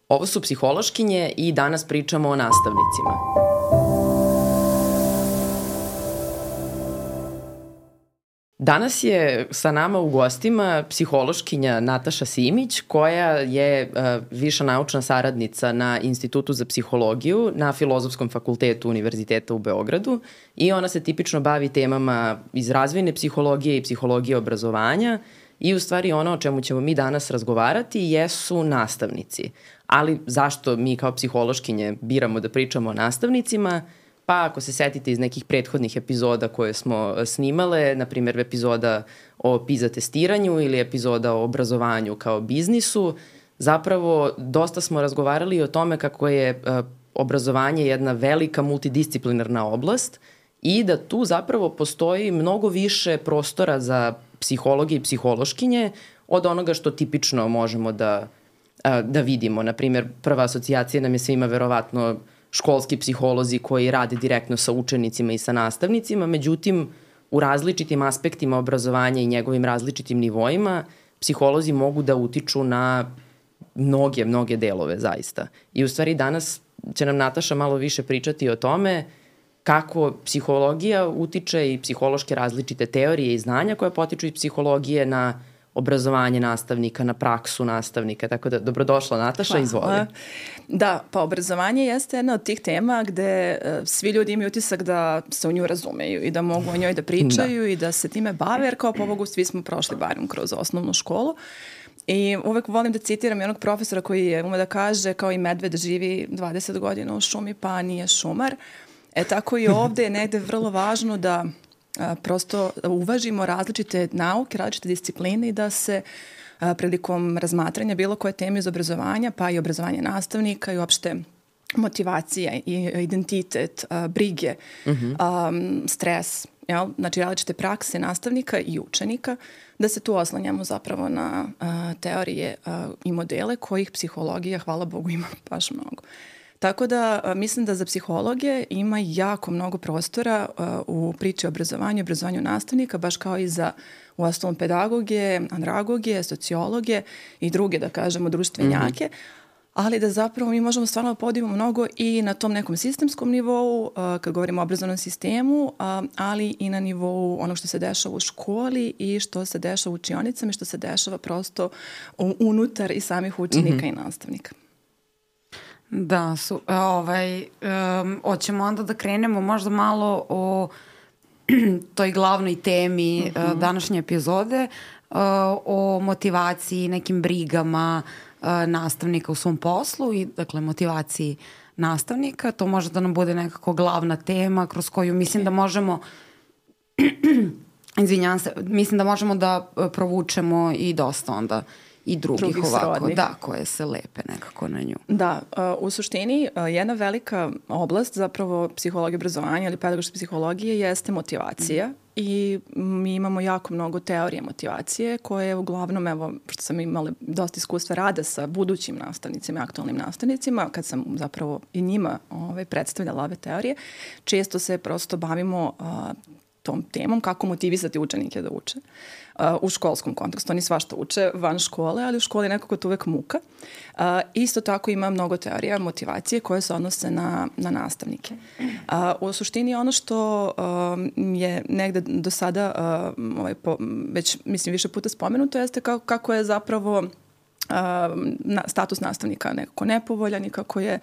Ovo su psihološkinje i danas pričamo o nastavnicima. Danas je sa nama u gostima psihološkinja Nataša Simić, koja je viša naučna saradnica na Institutu za psihologiju na Filozofskom fakultetu Univerziteta u Beogradu i ona se tipično bavi temama iz razvojne psihologije i psihologije obrazovanja i u stvari ono o čemu ćemo mi danas razgovarati jesu nastavnici. Ali zašto mi kao psihološkinje biramo da pričamo o nastavnicima? Pa ako se setite iz nekih prethodnih epizoda koje smo snimale, na primjer epizoda o PISA testiranju ili epizoda o obrazovanju kao biznisu, zapravo dosta smo razgovarali o tome kako je obrazovanje jedna velika multidisciplinarna oblast i da tu zapravo postoji mnogo više prostora za psihologe i psihološkinje od onoga što tipično možemo da vidimo. Naprimjer, prva asocijacija nam je svima verovatno školski psiholozi koji rade direktno sa učenicima i sa nastavnicima, međutim, u različitim aspektima obrazovanja i njegovim različitim nivoima, psiholozi mogu da utiču na mnoge delove zaista. I u stvari danas će nam Nataša malo više pričati o tome kako psihologija utiče i psihološke različite teorije i znanja koje potiču iz psihologije na obrazovanje nastavnika, na praksu nastavnika. Tako da, dobrodošla Nataša, izvoli. Da, pa obrazovanje jeste jedna od tih tema gde svi ljudi imaju utisak da se u nju razumeju i da mogu o njoj da pričaju i da se time bave, jer kao pobogu svi smo prošli barem kroz osnovnu školu. I uvek volim da citiram jednog profesora koji je ume da kaže kao i medved živi 20 godina u šumi pa nije šumar. Tako i ovde je negde vrlo važno da prosto uvažimo različite nauke, različite discipline i da se prilikom razmatranja bilo koje teme iz obrazovanja, pa i obrazovanje nastavnika i uopšte motivacija i identitet, brige, stres, znači različite prakse nastavnika i učenika, da se tu oslanjamo zapravo na teorije i modele kojih psihologija, hvala Bogu, ima baš mnogo. Tako da mislim da za psihologe ima jako mnogo prostora u priči o obrazovanju nastavnika, baš kao i za uostalom pedagoge, andragoge, sociologe i druge, da kažemo, društvenjake, ali da zapravo mi možemo stvarno podivimo mnogo i na tom nekom sistemskom nivou, kad govorimo o obrazovnom sistemu, ali i na nivou onog što se dešava u školi i što se dešava u učionicama i što se dešava prosto unutar i samih učenika i nastavnika. Da, hoćemo onda da krenemo možda malo o toj glavnoj temi današnje epizode, o motivaciji, nekim brigama nastavnika u svom poslu i dakle motivaciji nastavnika. To može da nam bude nekako glavna tema kroz koju mislim da možemo mislim da možemo da provučemo i dosta onda i drugih ovako, srodnih. Da, koje se lepe nekako na nju. Da, u suštini jedna velika oblast zapravo psihologije obrazovanja ili pedagoške psihologije jeste motivacija i mi imamo jako mnogo teorije motivacije koje uglavnom, evo, što sam imala dosta iskustva rada sa budućim nastavnicima, aktualnim nastavnicima, kad sam zapravo i njima predstavljala ove teorije, često se prosto bavimo tom temom kako motivisati učenike da uče u školskom kontekstu. Oni svašta uče van škole, ali u školi je nekako to uvek muka. Isto tako ima mnogo teorija motivacije koje se odnose na nastavnike. U suštini ono što je negde do sada već mislim više puta spomenuto jeste kako je zapravo status nastavnika nekako nepovoljan i kako je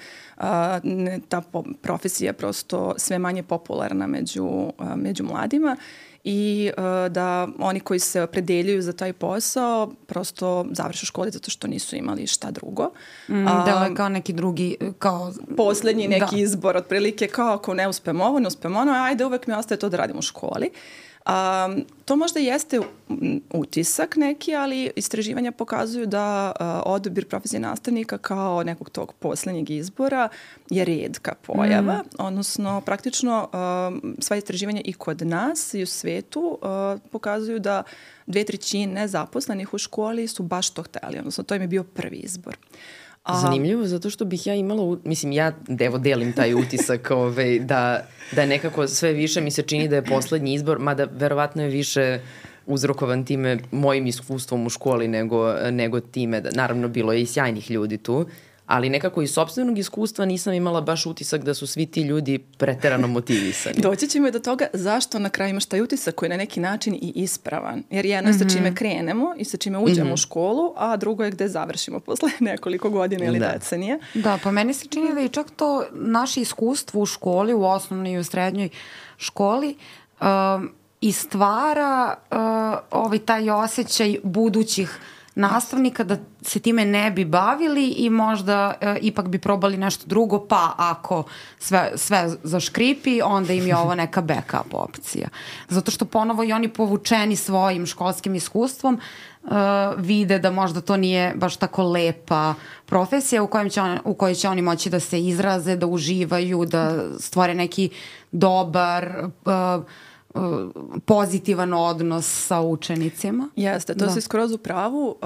ta profesija prosto sve manje popularna među mladima i da oni koji se opredeljuju za taj posao prosto završe škole zato što nisu imali šta drugo. Da, kao neki drugi, kao poslednji neki izbor, otprilike kao ako ne uspemo ovo, ajde uvek mi ostaje to da radim u školi. To možda jeste utisak neki, ali istraživanja pokazuju da odabir profesije nastavnika kao nekog tog poslednjeg izbora je retka pojava, odnosno praktično sva istraživanja i kod nas i u svetu pokazuju da 2/3 nezaposlenih u školi su baš to hteli, odnosno to im je bio prvi izbor. Zanimljivo, zato što bih ja imala, mislim, ja delim taj utisak da nekako sve više mi se čini da je poslednji izbor, mada verovatno je više uzrokovan time mojim iskustvom u školi nego time, naravno bilo je i sjajnih ljudi tu, ali nekako iz sopstvenog iskustva nisam imala baš utisak da su svi ti ljudi preterano motivisani. Doći ćemo i do toga zašto na kraju imaš taj utisak koji je na neki način i ispravan. Jer jedno je sa čime krenemo i sa čime uđemo u školu, a drugo je gde završimo posle nekoliko godina ili decenije. Da, pa meni se čini da i čak to naše iskustvo u školi, u osnovnoj i u srednjoj školi, i stvara taj osjećaj budućih nastavnika da se time ne bi bavili i možda ipak bi probali nešto drugo, pa ako sve zaškripi, onda im je ovo neka backup opcija. Zato što ponovo i oni povučeni svojim školskim iskustvom vide da možda to nije baš tako lepa profesija u kojoj će oni moći da se izraze, da uživaju, da stvore neki dobar pozitivan odnos sa učenicima. Jeste, to si skroz u pravu.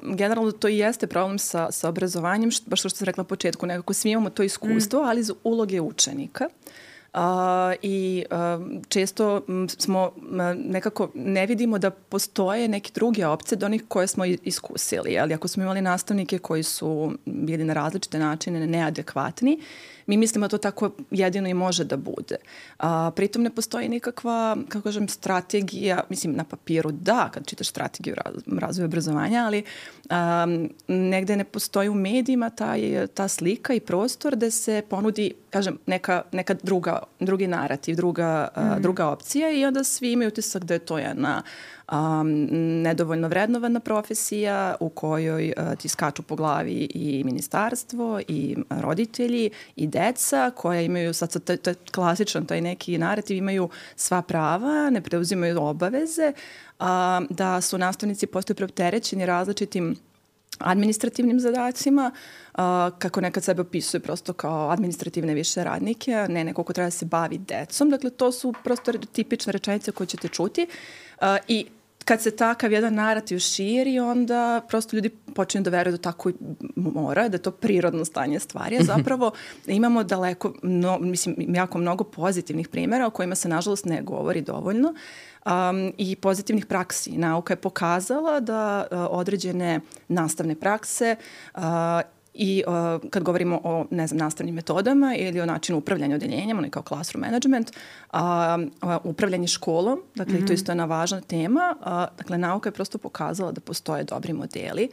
Generalno to i jeste problem sa obrazovanjem, baš što sam rekla na početku, nekako svi imamo to iskustvo, ali iz uloge učenika. I često smo nekako ne vidimo da postoje neke druge opcije do onih koje smo iskusili. Ali ako smo imali nastavnike koji su bili na različite načine neadekvatni, mi mislimo da to tako jedino i može da bude. Pritom ne postoji nikakva, kako kažem, strategija, mislim na papiru da, kad čitaš strategiju razvoja obrazovanja, ali negde ne postoji u medijima ta slika i prostor da se ponudi, kažem, neka drugi narativ, druga opcija i onda svi imaju utisak da je to jedna nedovoljno vrednovana profesija u kojoj ti skaču po glavi i ministarstvo i roditelji i deca koja imaju, sad to je klasičan taj neki narativ, imaju sva prava, ne preuzimaju obaveze, da su nastavnici postaju preopterećeni različitim administrativnim zadacima, kako nekad sebe opisuje prosto kao administrativne više radnike, ne neko ko treba da se bavi decom. Dakle, to su prosto tipične rečenice koje ćete čuti i kad se takav jedan narativ širi, onda prosto ljudi počinju da veruju da tako mora, da je to prirodno stanje stvari, a zapravo imamo daleko, jako mnogo pozitivnih primjera o kojima se nažalost ne govori dovoljno i pozitivnih praksi. Nauka je pokazala da određene nastavne prakse i kad govorimo o, nastavnim metodama ili o načinu upravljanja odeljenjem, ono je kao classroom management, upravljanje školom, dakle to isto je jedna važna tema, dakle nauka je prosto pokazala da postoje dobri modeli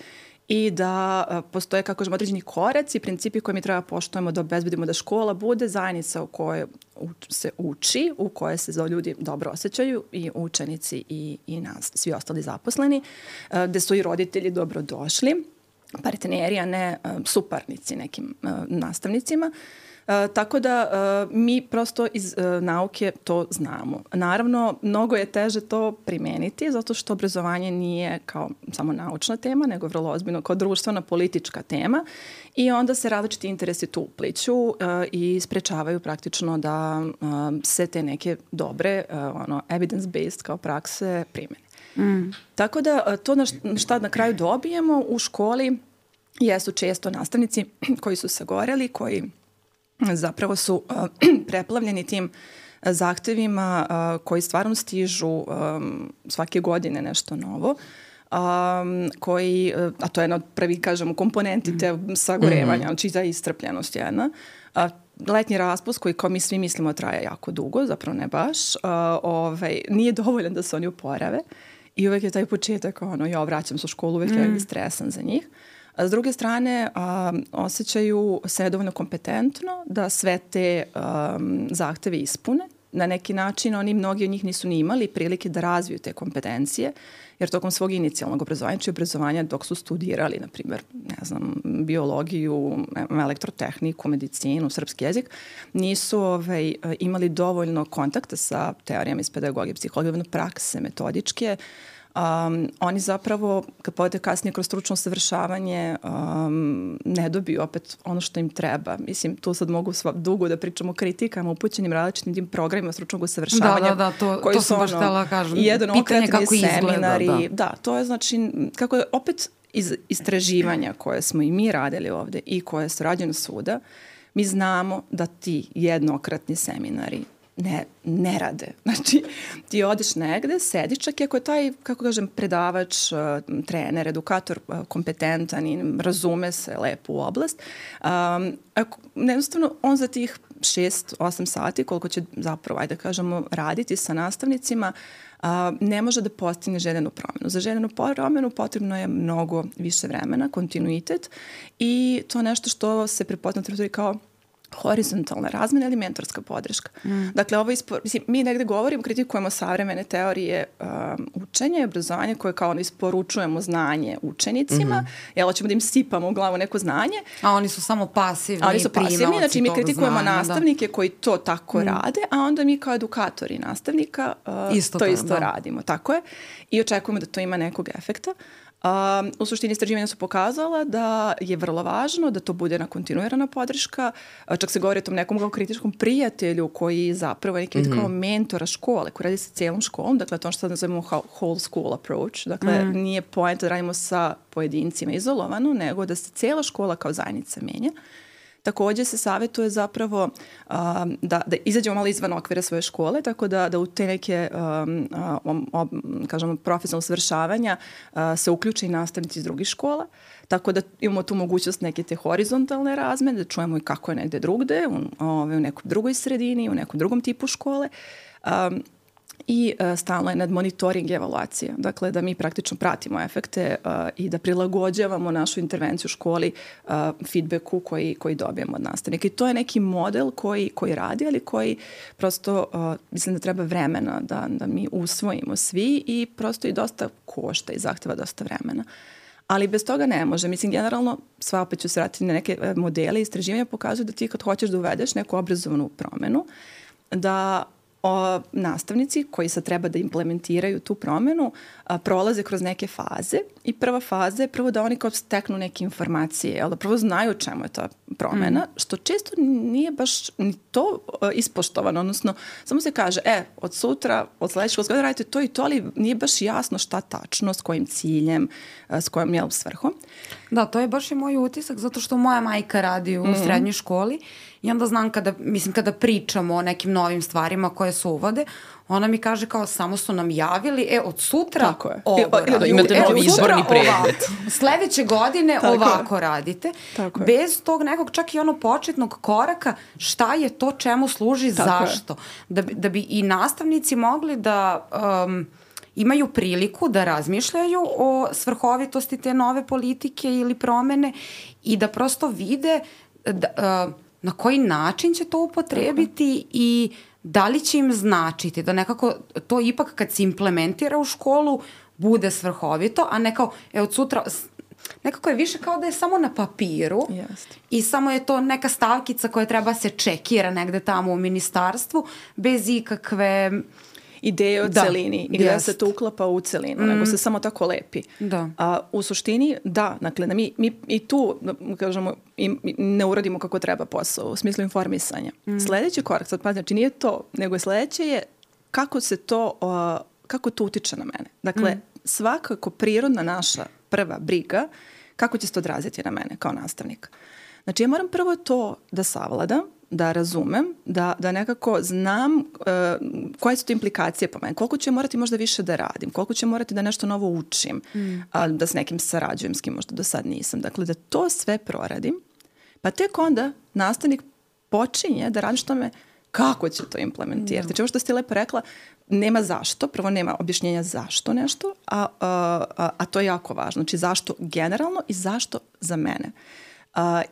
i da postoje, kako kažemo, određeni koraci i principi koje mi treba poštujemo da obezbedimo da škola bude zajednica u kojoj se uči, u kojoj se ljudi dobro osjećaju i učenici i nas, svi ostali zaposleni, gde su i roditelji dobro došli, partneri, a ne suparnici nekim nastavnicima. Tako da mi prosto iz nauke to znamo. Naravno, mnogo je teže to primeniti zato što obrazovanje nije kao samo naučna tema, nego vrlo ozbiljno kao društvena politička tema i onda se različiti interesi tu upliću i sprečavaju praktično da se te neke dobre evidence-based kao prakse primene. Tako da to šta na kraju dobijemo u školi jesu često nastavnici koji su sagoreli, koji zapravo su preplavljeni tim zahtevima koji stvarno stižu svake godine nešto novo, a to je jedna od prvih, kažemo, komponenti te sagorevanja, znači ta iscrpljenost jedna. Letnji raspust koji kao mi svi mislimo traje jako dugo, zapravo ne baš, nije dovoljan da se oni uporave i uvek je taj početak, ja vraćam se u školu, uvek je stresan za njih. A s druge strane, osjećaju se dovoljno kompetentno da sve te zahteve ispune. Na neki način mnogi od njih nisu ni imali prilike da razviju te kompetencije, jer tokom svog inicijalnog obrazovanja dok su studirali, na primjer, biologiju, elektrotehniku, medicinu, srpski jezik, nisu imali dovoljno kontakta sa teorijama iz pedagogije, psihologije, prakse, metodičke. Oni zapravo, kad povede kasnije kroz stručno usavršavanje, ne dobiju opet ono što im treba. Mislim, tu sad mogu dugo da pričamo o kritikama upućenim različitim tim programima stručnog usavršavanja. To sam baš htjela kažem. Pitanje kako seminari. Da, to je znači, kako je opet iz istraživanja koje smo i mi radili ovde i koje su rađene svuda, mi znamo da ti jednokratni seminari ne rade. Znači, ti odeš negde, sediš, čak i ako je taj, kako kažem, predavač, trener, edukator kompetentan i razume se lepo u oblast, jednostavno on za tih 6-8 sati, koliko će zapravo, ajde kažemo, raditi sa nastavnicima, ne može da postigne željenu promenu. Za željenu promenu potrebno je mnogo više vremena, kontinuitet i to nešto što se prepozna kao horizontalna razmena ili mentorska podrška. Dakle, mi negde govorimo, kritikujemo savremene teorije učenja i obrazovanja koje kao isporučujemo znanje učenicima, jel hoćemo da im sipamo u glavu neko znanje. A oni su samo pasivni. Oni su pasivni, znači mi kritikujemo nastavnike koji to tako rade, a onda mi kao edukatori nastavnika to isto radimo. Tako je. I očekujemo da to ima nekog efekta. U suštini istraživanja su pokazala da je vrlo važno da to bude na kontinuirana podrška. Čak se govori o tom nekom kao kritičkom prijatelju koji zapravo je neki kao mentora škole, koji radi sa cijelom školom. Dakle, to što nazivamo whole school approach. Dakle, nije point da radimo sa pojedincima izolovano, nego da se cijela škola kao zajednica menja. Također se savjetuje zapravo da izađemo malo izvan okvira svoje škole, tako da u te neke kažemo, profesionalne usavršavanja se uključe i nastavnici iz drugih škola, tako da imamo tu mogućnost neke te horizontalne razmene, da čujemo i kako je negde drugde, u nekoj drugoj sredini, u nekom drugom tipu škole. I stalno je nad monitoring i evaluacija. Dakle, da mi praktično pratimo efekte i da prilagođavamo našu intervenciju u školi feedbacku koji dobijemo od nastavnika. I to je neki model koji radi, ali koji prosto, mislim da treba vremena da mi usvojimo svi i prosto i dosta košta i zahteva dosta vremena. Ali bez toga ne može. Mislim, generalno, sva opet ću se vratiti na neke modele, istraživanja pokazuju da ti kad hoćeš da uvedeš neku obrazovnu promenu, da nastavnici koji sad treba da implementiraju tu promenu prolaze kroz neke faze i prva faza je prvo da oni kao steknu neke informacije, ali da prvo znaju čemu je ta promena, što često nije baš ni to ispoštovano, odnosno samo se kaže, od sutra, od sledećeg školskog radite to i to, ali nije baš jasno šta tačno, s kojim ciljem, s kojom svrhom. Da, to je baš i moj utisak, zato što moja majka radi u srednjoj školi i onda znam kada pričamo o nekim novim stvarima koje se uvode, ona mi kaže kao samo su nam javili, od sutra ovo radite. Imate novi izborni predmet. Sledeće godine ovako radite. Bez tog nekog čak i početnog koraka šta je to, čemu služi, zašto. Da bi i nastavnici mogli da imaju priliku da razmišljaju o svrhovitosti te nove politike ili promene i da prosto vide na koji način će to upotrebiti i da li će im značiti da nekako to ipak kad se implementira u školu bude svrhovito, a ne kao od sutra nekako je više kao da je samo na papiru i samo je to neka stavkica koja treba se čekira negde tamo u ministarstvu bez ikakve ideje o celini i gdje se to uklapa u celinu, nego se samo tako lepi. U suštini, dakle, mi i tu, kažemo, ne uradimo kako treba posao, u smislu informisanja. Sljedeći korak, sad pa znači nije to, nego sljedeće je kako to utiče na mene. Dakle, svakako prirodna naša prva briga, kako će se to odraziti na mene kao nastavnika. Znači, ja moram prvo to da savladam, da razumem, da nekako znam koje su to implikacije po meni, koliko ću morati možda više da radim, koliko ću morati da nešto novo učim, da s nekim sarađujem, s kim možda do sad nisam. Dakle, da to sve proradim, pa tek onda nastavnik počinje da radi što me kako će to implementirati. Znači, ovo što ste lepo rekla, nema zašto, prvo nema objašnjenja zašto nešto, a to je jako važno. Znači, zašto generalno i zašto za mene.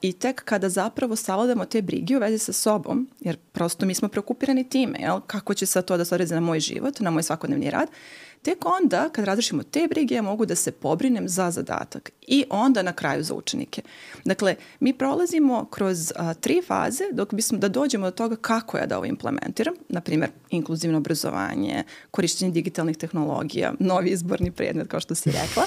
I tek kada zapravo savladamo te brige u vezi sa sobom, jer prosto mi smo preokupirani time, kako će sad to da se odrezi na moj život, na moj svakodnevni rad, tek onda kad razrešimo te brige ja mogu da se pobrinem za zadatak i onda na kraju za učenike. Dakle, mi prolazimo kroz 3 faze dok bismo da dođemo do toga kako ja da ovo implementiram, na primjer inkluzivno obrazovanje, korištenje digitalnih tehnologija, novi izborni predmet kao što si rekla.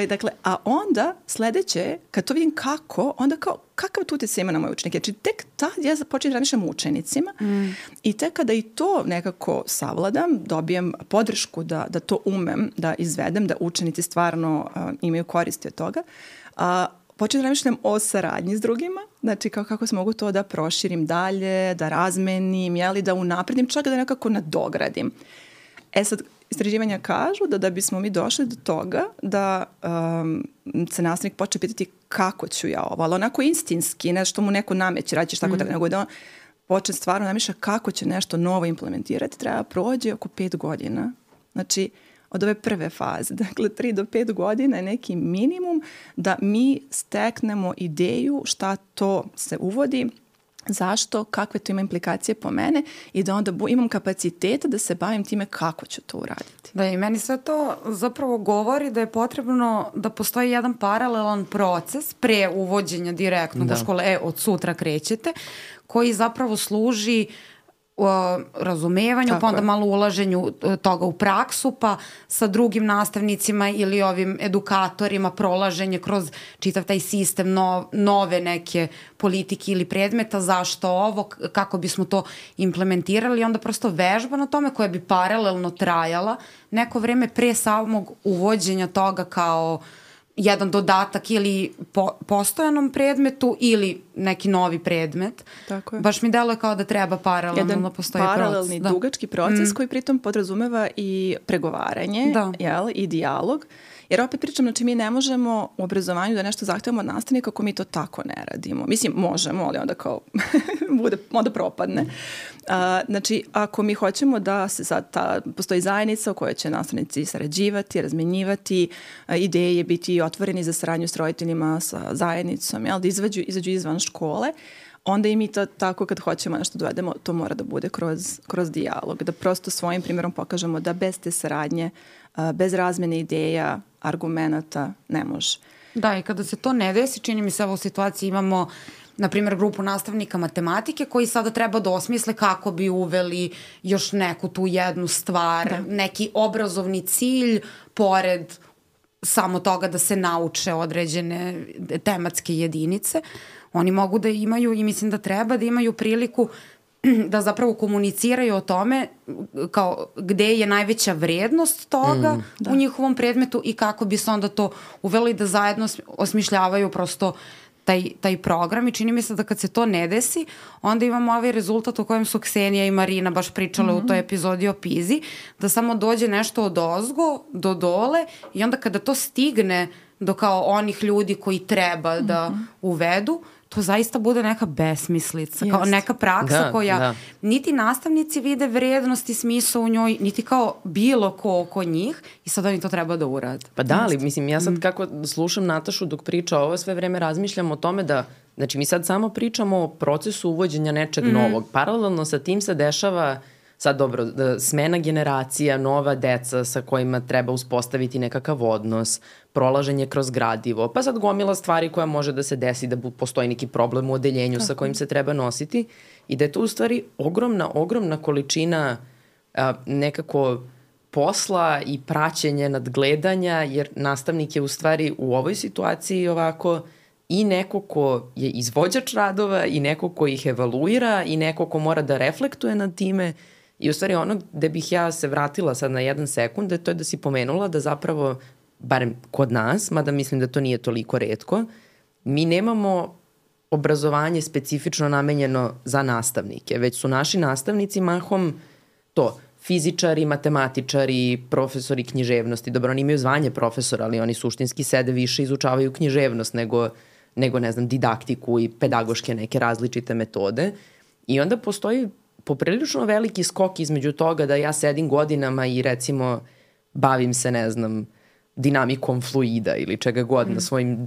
Dakle, a onda sledeće, kad to vidim kako, onda kao kakav tu utjecaj ima na moje učenike. Znači, tek tad ja počinjem da razmišljam o učenicima i tek kada i to nekako savladam, dobijem podršku da to umem, da izvedem, da učenici stvarno imaju koristi od toga, početi da razmišljam o saradnji s drugima, znači kako se mogu to da proširim dalje, da razmenim, da unapredim, čak da nekako nadogradim. Sad, istraživanja kažu da bismo mi došli do toga da se nastavnik počne pitati kako ću ja ovo, ali onako instinski, nešto mu neko nameće, radit ćeš tako treba, nego da on počne stvarno namišlja kako će nešto novo implementirati, treba prođe oko 5 godina. Znači, od ove prve faze, dakle 3 do 5 godina je neki minimum da mi steknemo ideju šta to se uvodi, zašto, kakve to ima implikacije po mene i da onda imam kapaciteta da se bavim time kako ću to uraditi. Da, i meni sve to zapravo govori da je potrebno da postoji jedan paralelan proces pre uvođenja direktno u škole, od sutra krećete, koji zapravo služi razumevanju, pa onda malo ulaženju toga u praksu, pa sa drugim nastavnicima ili ovim edukatorima prolaženje kroz čitav taj sistem nove neke politike ili predmeta, zašto ovo, kako bismo to implementirali i onda prosto vežba na tome koja bi paralelno trajala neko vreme pre samog uvođenja toga kao jedan dodatak ili postojanom predmetu ili neki novi predmet. Tako je. Baš mi deluje kao da treba paralelno da postoji proces. Jedan paralelni dugački proces koji pritom podrazumeva i pregovaranje i dijalog. Jer opet pričam, znači mi ne možemo u obrazovanju da nešto zahtevamo od nastavnika ako mi to tako ne radimo. Mislim, možemo, ali onda kao onda propadne. Znači, ako mi hoćemo da se sad postoji zajednica u kojoj će nastavnici sarađivati, razmenjivati ideje, biti otvoreni za saradnju s roditeljima, sa zajednicom, da izađu izvan škole, onda i mi to tako kad hoćemo nešto dovedemo, to mora da bude kroz dijalog, da prosto svojim primjerom pokažemo da bez te saradnje, bez razmene ideja, argumenata ne može. Da, i kada se to ne desi, čini mi se u situaciji imamo na primjer grupu nastavnika matematike koji sada treba da osmisle kako bi uveli još neku tu jednu stvar, neki obrazovni cilj pored samo toga da se nauče određene tematske jedinice. Oni mogu da imaju i mislim da treba da imaju priliku da zapravo komuniciraju o tome kao gde je najveća vrednost toga u njihovom predmetu i kako bi se onda to uveli da zajedno osmišljavaju prosto taj program i čini mi se da kad se to ne desi, onda imamo ovaj rezultat o kojem su Ksenija i Marina baš pričale u toj epizodi o PISA, da samo dođe nešto od ozgo do dole i onda kada to stigne do kao onih ljudi koji treba da uvedu, to zaista bude neka besmislica, kao neka praksa koja niti nastavnici vide vrednost i smisao u njoj, niti kao bilo ko oko njih i sad oni to treba da urade. Pa da, ali mislim, ja sad kako slušam Natašu dok priča ovo, sve vreme razmišljam o tome da, znači mi sad samo pričamo o procesu uvođenja nečeg novog. Paralelno sa tim se dešava sad dobro, smena generacija, nova deca sa kojima treba uspostaviti nekakav odnos, prolaženje kroz gradivo, pa sad gomila stvari koja može da se desi, da postoji neki problem u odeljenju sa kojim se treba nositi i da je to u stvari ogromna količina nekako posla i praćenje nadgledanja, jer nastavnik je u stvari u ovoj situaciji ovako i neko ko je izvođač radova i neko ko ih evaluira i neko ko mora da reflektuje nad time. I u stvari ono gde bih ja se vratila sad na 1 sekund, to je da si pomenula da zapravo, barem kod nas, mada mislim da to nije toliko retko, mi nemamo obrazovanje specifično namenjeno za nastavnike, već su naši nastavnici mahom to, fizičari, matematičari, profesori književnosti. Dobro, oni imaju zvanje profesora, ali oni suštinski sede više izučavaju književnost nego ne znam, didaktiku i pedagoške neke različite metode. I onda postoji poprilično veliki skok između toga da ja sedim godinama i recimo bavim se, ne znam, dinamikom fluida ili čega god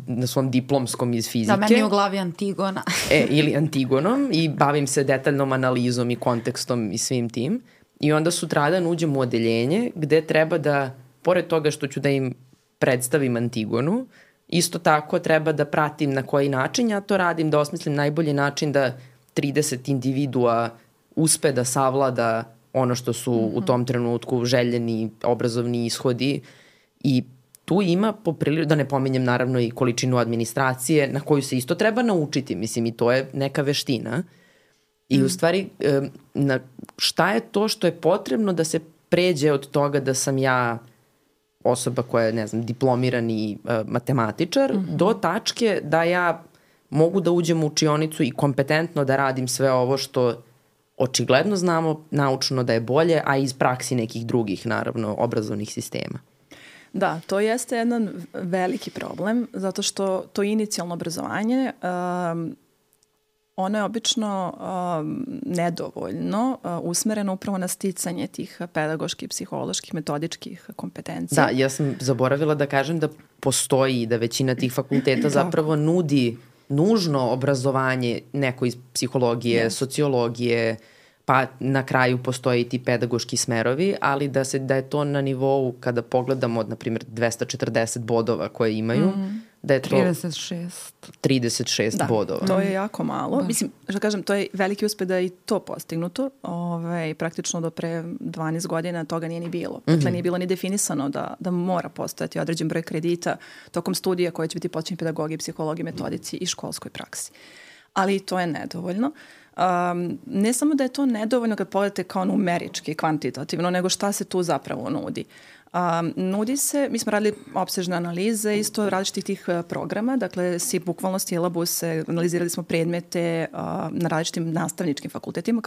na svom diplomskom iz fizike. Da, meni je u glavi Antigona. Ili Antigonom i bavim se detaljnom analizom i kontekstom i svim tim. I onda sutradan uđem u odeljenje gde treba da, pored toga što ću da im predstavim Antigonu, isto tako treba da pratim na koji način ja to radim, da osmislim najbolji način da 30 individua uspe da savlada ono što su u tom trenutku željeni obrazovni ishodi i tu ima da ne pominjem naravno i količinu administracije na koju se isto treba naučiti, mislim i to je neka veština i u stvari šta je to što je potrebno da se pređe od toga da sam ja osoba koja je, ne znam, diplomirani matematičar, do tačke da ja mogu da uđem u učionicu i kompetentno da radim sve ovo što očigledno znamo naučno da je bolje, a iz praksi nekih drugih, naravno, obrazovnih sistema. Da, to jeste jedan veliki problem, zato što to inicijalno obrazovanje, ono je obično nedovoljno usmereno upravo na sticanje tih pedagoških, psiholoških, metodičkih kompetencija. Da, ja sam zaboravila da kažem da postoji i da većina tih fakulteta zapravo nudi nužno obrazovanje neko iz psihologije, sociologije, pa na kraju postoje i ti pedagoški smerovi, ali da je to na nivou kada pogledamo, na primjer, 240 bodova koje imaju, da je to 36 bodova. Da, to je jako malo. Da. Mislim, što kažem, to je veliki uspeh da je i to postignuto. Praktično do pre 12 godina toga nije ni bilo. Dakle, nije bilo ni definisano da mora postojati određen broj kredita tokom studija koje će biti počinjeni pedagogiji, psihologiji, metodici i školskoj praksi. Ali to je nedovoljno. Ne samo da je to nedovoljno kad pogledate kao numerički, kvantitativno, nego šta se tu zapravo nudi. Nudi se, mi smo radili opsežne analize isto različitih tih programa, dakle bukvalno silabuse, analizirali smo predmete na različitim nastavničkim fakultetima.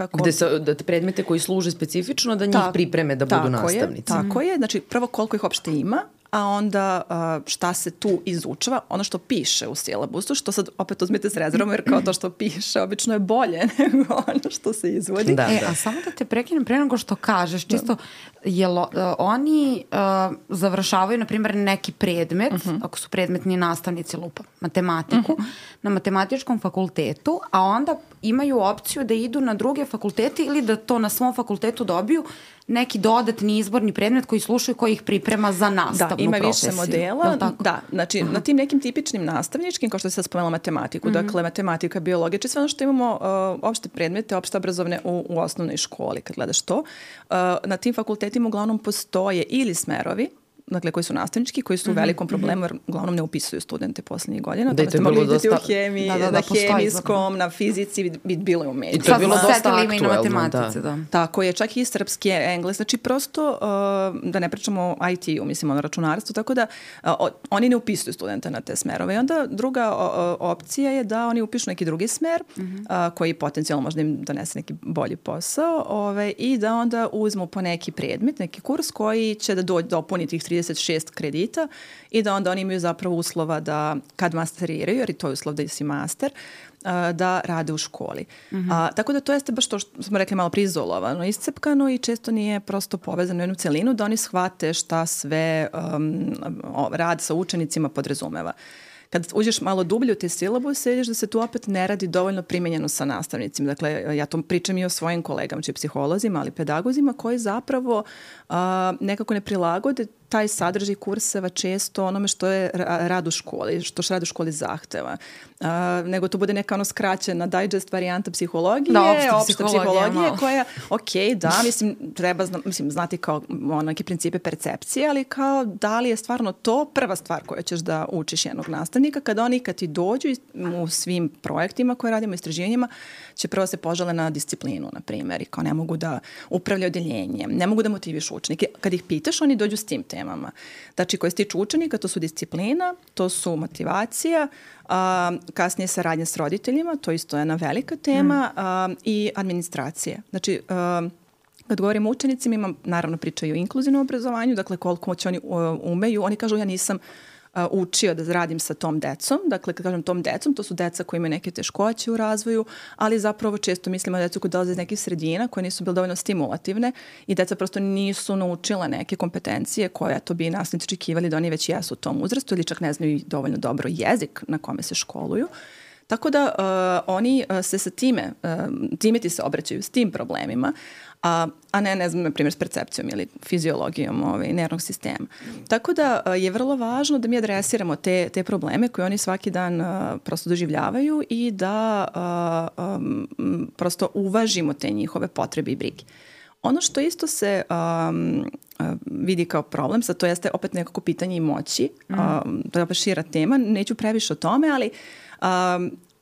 Predmete koji služe specifično da njih pripreme da budu nastavnici. Tako je, znači prvo koliko ih uopšte ima, a onda šta se tu izučava, ono što piše u silabusu, što sad opet uzmite s rezervom, jer kao to što piše obično je bolje nego ono što se izvodi. A samo da te prekinem pre nego što kažeš, čisto, oni završavaju, na primjer, neki predmet, ako su predmetni nastavnici lupa, matematiku, na matematičkom fakultetu, a onda imaju opciju da idu na druge fakultete ili da to na svom fakultetu dobiju neki dodatni izborni predmet koji slušaju, koji ih priprema za nastavnu profesiju. Da, ima više modela. Da, znači na tim nekim tipičnim nastavničkim, kao što se spomenula matematiku, dakle matematika, biologija, sve ono što imamo opšte predmete, opšte obrazovne u osnovnoj školi, kad gledaš to, na tim fakultetima uglavnom postoje ili smerovi, dakle koji su nastavnički, koji su u velikom problemu jer uglavnom ne upisuju studente poslednjih godina. Da, to je bilo dosta... u hemiji, na hemijskom, na fizici, bilo je u mediju. I to je bilo dosta aktuelno. Tako je, čak i srpski, engles, znači prosto, da ne pričamo o IT-u, mislim, ono računarstvu, tako da oni ne upisuju studente na te smerove. I onda druga opcija je da oni upišu neki drugi smer, koji potencijalno možda im donese neki bolji posao, i da onda uzmu po neki predmet, neki kurs koji će da dopuni tih 36 kredita i da onda oni imaju zapravo uslova da kad masteriraju, jer i to je uslov da si master, da rade u školi. Tako da to jeste baš to što smo rekli malo prizolovano, iscepkano i često nije prosto povezano u jednu celinu da oni shvate šta sve rad sa učenicima podrazumeva. Kad uđeš malo dublje u te silabuse, vidiš da se tu opet ne radi dovoljno primenjeno sa nastavnicima. Dakle, ja to pričam i o svojim kolegama, znači psiholozima, ali pedagozima koji zapravo nekako ne prilagode taj sadržaj kurseva često onome što je rad u školi, što rad u školi zahteva. Nego to bude neka skraćena digest varijanta psihologije, opšta psihologije koja, treba znati kao neke principe percepcije, ali kao da li je stvarno to prva stvar koju ćeš da učiš jednog nastavnika, kad ti dođu u svim projektima koje radimo, istraživanjima, će prvo se požale na disciplinu, na primjer, i kao ne mogu da upravljaju odeljenjem, ne mogu da motivišu učenike. Kad ih pitaš, oni dođu s tim temama. Znači, koje se tiču učenika, to su disciplina, to su motivacija, kasnije saradnja s roditeljima, to isto je jedna velika tema, i administracija. Znači, kad govorimo o učenicima, naravno pričaju o inkluzivnom obrazovanju, dakle koliko će oni umeju, oni kažu ja nisam učio da radim sa tom decom. Dakle, kad kažem tom decom, to su deca koji imaju neke teškoće u razvoju, ali zapravo često mislimo decu koji dolaze iz nekih sredina koje nisu bile dovoljno stimulativne i deca prosto nisu naučila neke kompetencije koje to bi nastavnici očekivali da oni već jesu u tom uzrastu ili čak ne znaju dovoljno dobro jezik na kome se školuju. Tako da oni se sa time ti se obraćaju s tim problemima, a ne znam, na primjer, s percepcijom ili fiziologijom nervnog sistema. Tako da je vrlo važno da mi adresiramo te probleme koje oni svaki dan prosto doživljavaju i da prosto uvažimo te njihove potrebe i brige. Ono što isto se vidi kao problem, sad to jeste opet nekako pitanje i moći, to je opet šira tema, neću previše o tome, ali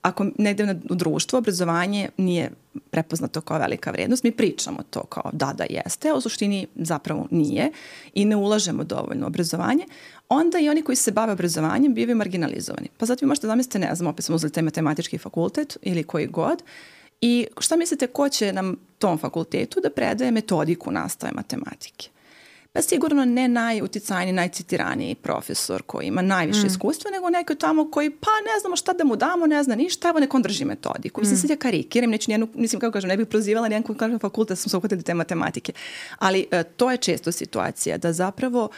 ako negde u društvu obrazovanje nije prepoznato kao velika vrednost, mi pričamo to kao da jeste, a u suštini zapravo nije i ne ulažemo dovoljno u obrazovanje, onda i oni koji se bave obrazovanjem bivaju marginalizovani. Pa zato vi možete zamisliti, ne znam, opet smo uzeli taj matematički fakultet ili koji god, i šta mislite ko će nam tom fakultetu da predaje metodiku nastave matematike? Pa sigurno ne najuticajniji, najcitiraniji profesor koji ima najviše iskustva, nego neko tamo koji pa ne znamo šta da mu damo, ne zna ništa, evo nek on drži metodiku. Mislim, sad ja karikiram, mislim kako kažem, ne bih prozivala nijedan koji kaže fakultet, sam se uhvatili te matematike. Ali to je često situacija, da zapravo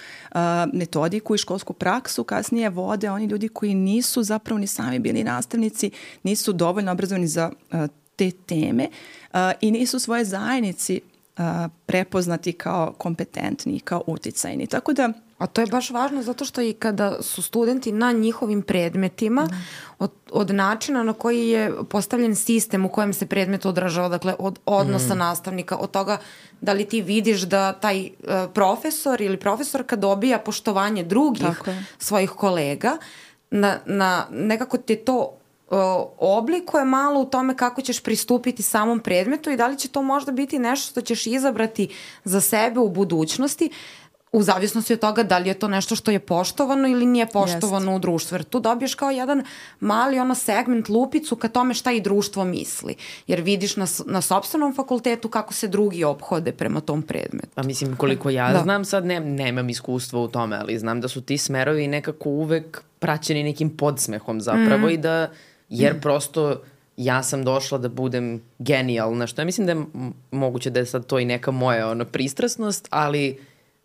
metodiku i školsku praksu kasnije vode oni ljudi koji nisu zapravo ni sami bili nastavnici, nisu dovoljno obrazovani za te teme i nisu svoje zajednici prepoznati kao kompetentni, kao uticajni. Tako da... A to je baš važno zato što i kada su studenti na njihovim predmetima, od načina na koji je postavljen sistem u kojem se predmet odražava, dakle od odnosa nastavnika, od toga da li ti vidiš da taj profesor ili profesorka dobija poštovanje drugih svojih kolega, nekako te to oblikuje malo u tome kako ćeš pristupiti samom predmetu i da li će to možda biti nešto što ćeš izabrati za sebe u budućnosti, u zavisnosti od toga da li je to nešto što je poštovano ili nije poštovano u društvu. Jer tu dobiješ kao jedan mali segment, lupicu ka tome šta i društvo misli. Jer vidiš na sopstvenom fakultetu kako se drugi ophode prema tom predmetu. Pa mislim, koliko ja znam, sad nemam iskustva u tome, ali znam da su ti smerovi nekako uvek praćeni nekim podsmehom zapravo i da, jer prosto ja sam došla da budem genijalna, što ja mislim da je moguće da je sad to i neka moja pristrasnost, ali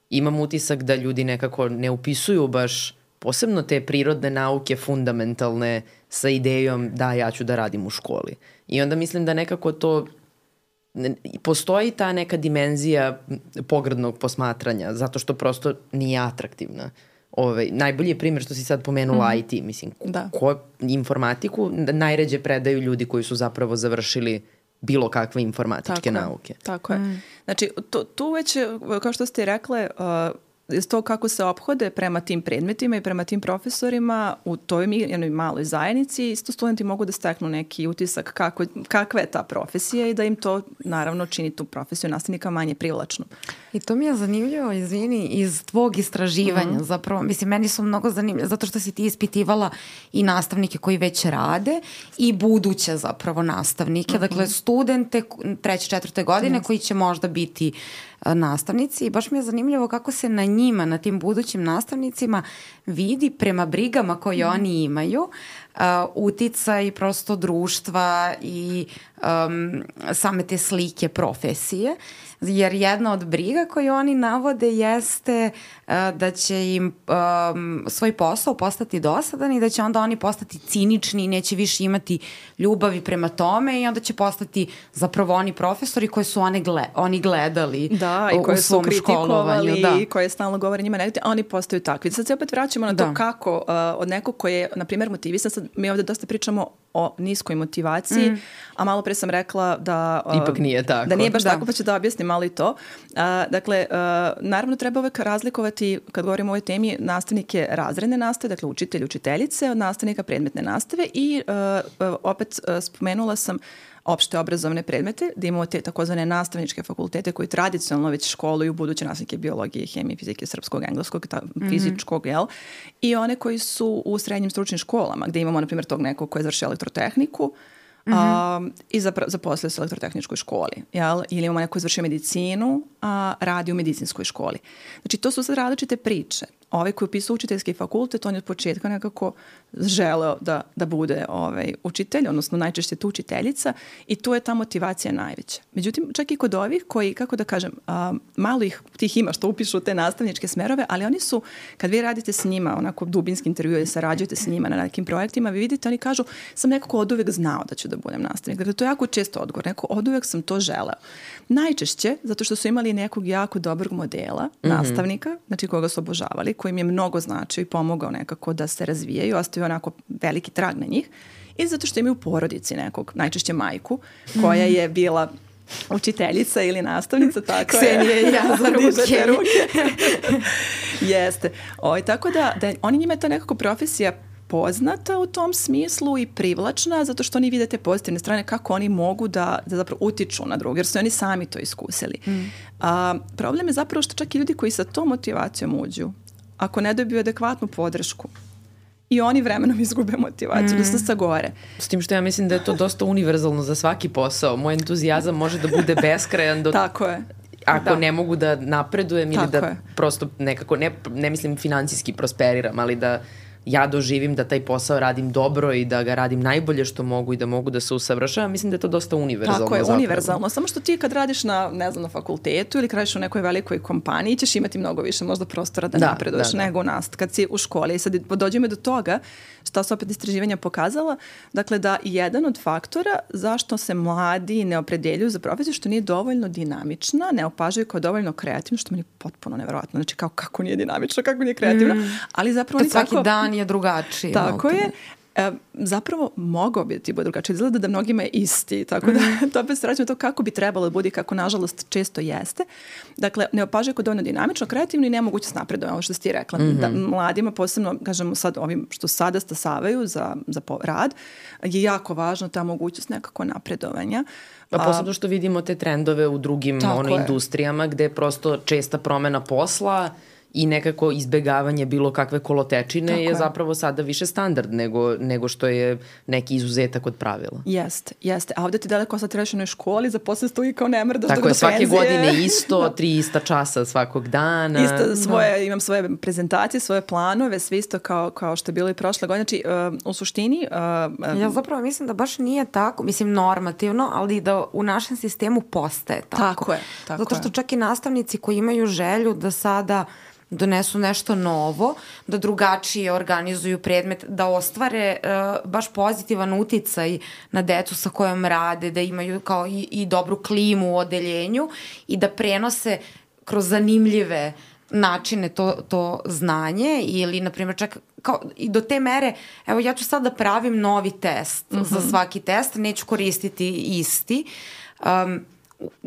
imam utisak da ljudi nekako ne upisuju baš posebno te prirodne nauke fundamentalne sa idejom da ja ću da radim u školi. I onda mislim da nekako to postoji ta neka dimenzija pogrdnog posmatranja, zato što prosto nije atraktivna. Najbolji je primjer što si sad pomenula IT, mislim, informatiku najređe predaju ljudi koji su zapravo završili bilo kakve informatičke nauke. Tako je. Znači, tu već, kao što ste rekle, to kako se ophode prema tim predmetima i prema tim profesorima u toj jednoj maloj zajednici, isto studenti mogu da steknu neki utisak kakva je ta profesija i da im to naravno čini tu profesiju nastavnika manje privlačnu. I to mi je zanimljivo, izvini, iz tvog istraživanja zapravo. Mislim, meni su mnogo zanimljivo, zato što si ti ispitivala i nastavnike koji već rade i buduće zapravo nastavnike, dakle studente 3. 4. godine koji će možda biti nastavnici i baš mi je zanimljivo kako se na njima, na tim budućim nastavnicima vidi prema brigama koje oni imaju uticaj prosto društva i same te slike profesije. Jer jedna od briga koju oni navode jeste da će im svoj posao postati dosadan i da će onda oni postati cinični i neće više imati ljubavi prema tome i onda će postati zapravo oni profesori koje su oni gledali i koje su kritikovali i koje stalno govore njima negativno, a oni postaju takvi. Sad se opet vraćamo na to kako od nekog koji je, na primjer, motivisan, sad mi ovdje dosta pričamo o niskoj motivaciji, a malo pre sam rekla da ipak nije tako. Da nije baš tako, pa ću da objasnim malo i to. Dakle, naravno treba uvek razlikovati, kad govorimo o ovoj temi, nastavnike razredne nastave, dakle učitelj, učiteljice, od nastavnika predmetne nastave i opet spomenula sam opšte obrazovne predmete, da imamo te takozvane nastavničke fakultete koji tradicionalno već školuju buduće nastavnike biologije, hemije, fizike, srpskog, engleskog, fizičkog, i one koji su u srednjim stručnim školama, gde imamo, na primjer, tog nekog koji je završio elektrotehniku i zaposlio se u elektrotehničkoj školi, ili imamo neko koji je završio medicinu, a radi u medicinskoj školi. Znači, to su sad različite priče. Ovaj koji upisao učiteljski fakultet, on je od početka nekako želeo da bude učitelj, odnosno najčešće tu učiteljica, i tu je ta motivacija najveća. Međutim, čak i kod ovih koji, kako da kažem, malo ih tih ima što upišu te nastavničke smerove, ali oni su, kad vi radite s njima, onako dubinski intervju ili sarađujete s njima na nekim projektima, vi vidite, oni kažu, sam nekako oduvek znao da ću da budem nastavnik. Dakle, to je jako često odgovor, neko oduvek sam to želeo. Najčešće, zato što su imali nekog jako dobrog modela, nastavnika, znači koga su obožavali, koji im je mnogo značio i pomogao nekako da se razvijaju, ostavio onako veliki trag na njih, i zato što imaju u porodici nekog, najčešće majku, koja je bila učiteljica ili nastavnica, tako Ksenije i ja za ruke. Jeste. Tako da oni njima je to nekako profesija poznata u tom smislu i privlačna, zato što oni vide te pozitivne strane, kako oni mogu da zapravo utiču na druge, jer su oni sami to iskusili. Problem je zapravo što čak i ljudi koji sa tom motivacijom uđu, ako ne dobiju adekvatnu podršku, i oni vremenom izgube motivaciju, da se sagore. S tim što ja mislim da je to dosta univerzalno za svaki posao. Moj entuzijazam može da bude beskrajan do... Tako je. Ako ne mogu da napredujem ili da prosto nekako, ne mislim financijski prosperiram, ali da ja doživim da taj posao radim dobro i da ga radim najbolje što mogu i da mogu da se usavršavam, mislim da je to dosta univerzalno. Tako je, univerzalno. Samo što ti kad radiš na fakultetu ili kad radiš u nekoj velikoj kompaniji, ćeš imati mnogo više možda prostora da napreduješ nego u nas. Kad si u školi. I sad dođemo do toga, šta su opet istraživanja pokazala, dakle da jedan od faktora zašto se mladi ne opredeljuju za profesiju, što nije dovoljno dinamična, ne opažaju kao dovoljno kreativno, što meni je potpuno nevjerojatno. Znači kako nije dinamično, kako nije kreativno. Ali zapravo svaki dan je drugačiji. Tako je. Zapravo mogao bi ti bude drugačije. Izgleda da mnogima je isti. Tako da to opet se vraćamo to kako bi trebalo da bude i kako nažalost često jeste. Dakle, ne opažaju kao dovoljno dinamično, kreativno i nemoguće s napredom. Ovo što si ti rekla. Da, mladima, posebno, kažemo sad ovim što sada stasavaju za rad, je jako važno ta mogućnost nekako napredovanja. Pa posebno što vidimo te trendove u drugim industrijama gde je prosto česta promena posla i nekako izbegavanje bilo kakve kolotečine je zapravo sada više standard nego što je neki izuzetak od pravila. Jeste. A ovdje ti daleko sad trebaš u jednoj školi, za posle stoji kao ne mrdaš do penzije. Svake godine isto, 3 ista časa svakog dana. Imam svoje prezentacije, svoje planove, sve isto kao što je bilo i prošle godine. Znači, u suštini... ja zapravo mislim da baš nije tako, mislim normativno, ali da u našem sistemu postaje tako. Tako je. Zato što čak i nastavnici koji imaju želju da sada donesu nešto novo, da drugačije organizuju predmet, da ostvare baš pozitivan uticaj na decu sa kojom rade, da imaju kao i dobru klimu u odeljenju i da prenose kroz zanimljive načine to znanje ili, na primjer, čak kao i do te mere, evo ja ću sad da pravim novi test za svaki test, neću koristiti isti.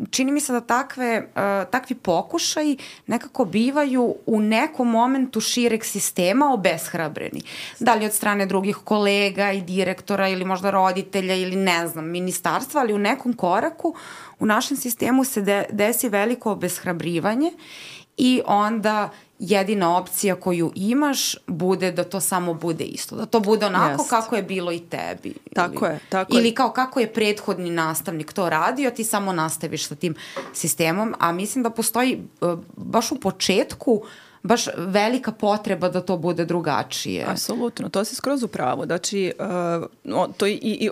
Čini mi se da takvi pokušaji nekako bivaju u nekom momentu šireg sistema obeshrabreni. Da li od strane drugih kolega i direktora ili možda roditelja ili ne znam, ministarstva, ali u nekom koraku u našem sistemu se desi veliko obeshrabrivanje i onda jedina opcija koju imaš bude da to samo bude isto. Da to bude onako kako je bilo i tebi. Tako je. Ili kao kako je prethodni nastavnik to radio, ti samo nastaviš sa tim sistemom. A mislim da postoji baš u početku baš velika potreba da to bude drugačije. Apsolutno, to si skroz u pravu. Znači,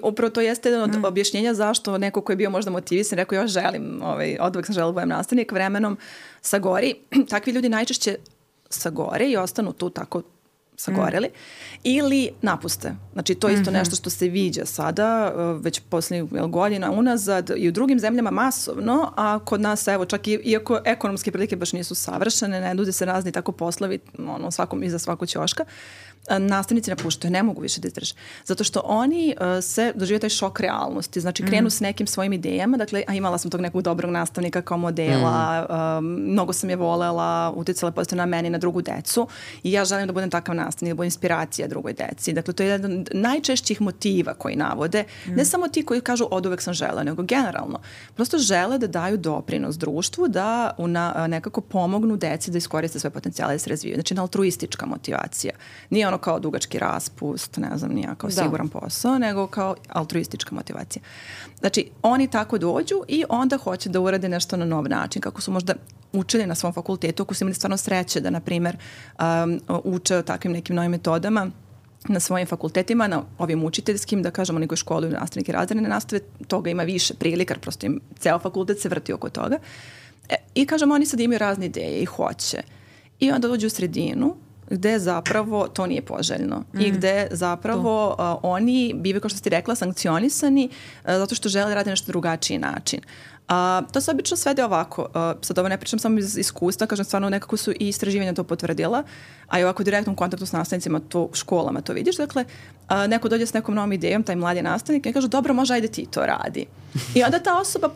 upravo to jeste jedan od objašnjenja zašto neko ko je bio možda motivisan, rekao ja želim, oduvek sam želila da budem nastavnik, vremenom sagori. Takvi ljudi najčešće sagore i ostanu tu tako sagoreli ili napuste. Znači, to je isto nešto što se viđa sada, već posljednjih godina unazad i u drugim zemljama masovno, a kod nas, evo, čak iako ekonomske prilike baš nisu savršene, ne nude se razni tako poslovi iza svakog ćoška, nastavnici napuštaju, ne mogu više da izdrže. Zato što oni se doživaju taj šok realnosti. Znači, krenu s nekim svojim idejama. Dakle, imala sam tog nekog dobrog nastavnika kao modela, mnogo sam je volela, uticala pozitivno na meni, na drugu decu i ja želim da budem takav nastavnik, da budem inspiracija drugoj deci. Dakle, to je jedan od najčešćih motiva koji navode. Ne samo ti koji kažu oduvek sam žela, nego generalno. Prosto žele da daju doprinos društvu, da nekako pomognu deci da iskoriste svoje potencijale i da se razvijaju. Znači, altruistička motivacija. Nije ono kao dugački raspust, ne znam, nije kao siguran posao, nego kao altruistička motivacija. Znači, oni tako dođu i onda hoće da urade nešto na nov način, kako su možda učili na svom fakultetu, ako su imali stvarno sreće da, na primjer, uče o takvim nekim novim metodama na svojim fakultetima, na ovim učiteljskim, da kažemo, nego školu ili nastavnike razredne nastave, toga ima više prilika, prosto im ceo fakultet se vrti oko toga. I kažemo, oni sad imaju razne ideje i hoće. I onda dođu u sredinu, gde zapravo to nije poželjno i gde zapravo oni bivaju, kao što si rekla, sankcionisani zato što žele da rade nešto drugačiji način. To se obično svede ovako, sad ovo ne pričam samo iz iskustva, kažem stvarno nekako su i istraživanja to potvrdila, a i ovako u direktnom kontaktu s nastavnicima, to u školama to vidiš, dakle, neko dođe s nekom novom idejom, taj mladi nastavnik, i kaže, dobro, može, ajde ti to radi. I onda ta osoba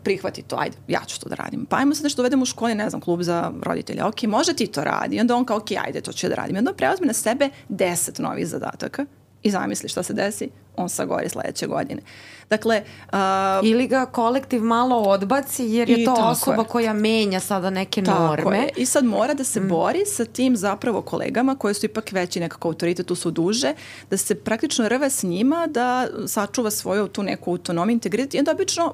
prihvati to, ajde, ja ću to da radim. Pa ajmo sad nešto uvedemo u školi, ne znam, klub za roditelja, ok, može ti to radi. I onda on kao, ok, ajde, to ću da radim. I onda preuzme na sebe 10 novih zadataka i zamisli šta se desi, on sagori sledeće godine. Dakle, ili ga kolektiv malo odbaci jer je to osoba koja menja sada neke norme. I sad mora da se bori sa tim zapravo kolegama koji su ipak veći nekako autoritet, tu su duže, da se praktično rve s njima, da sačuva svoju tu neku autonomiju, integritet. I onda obično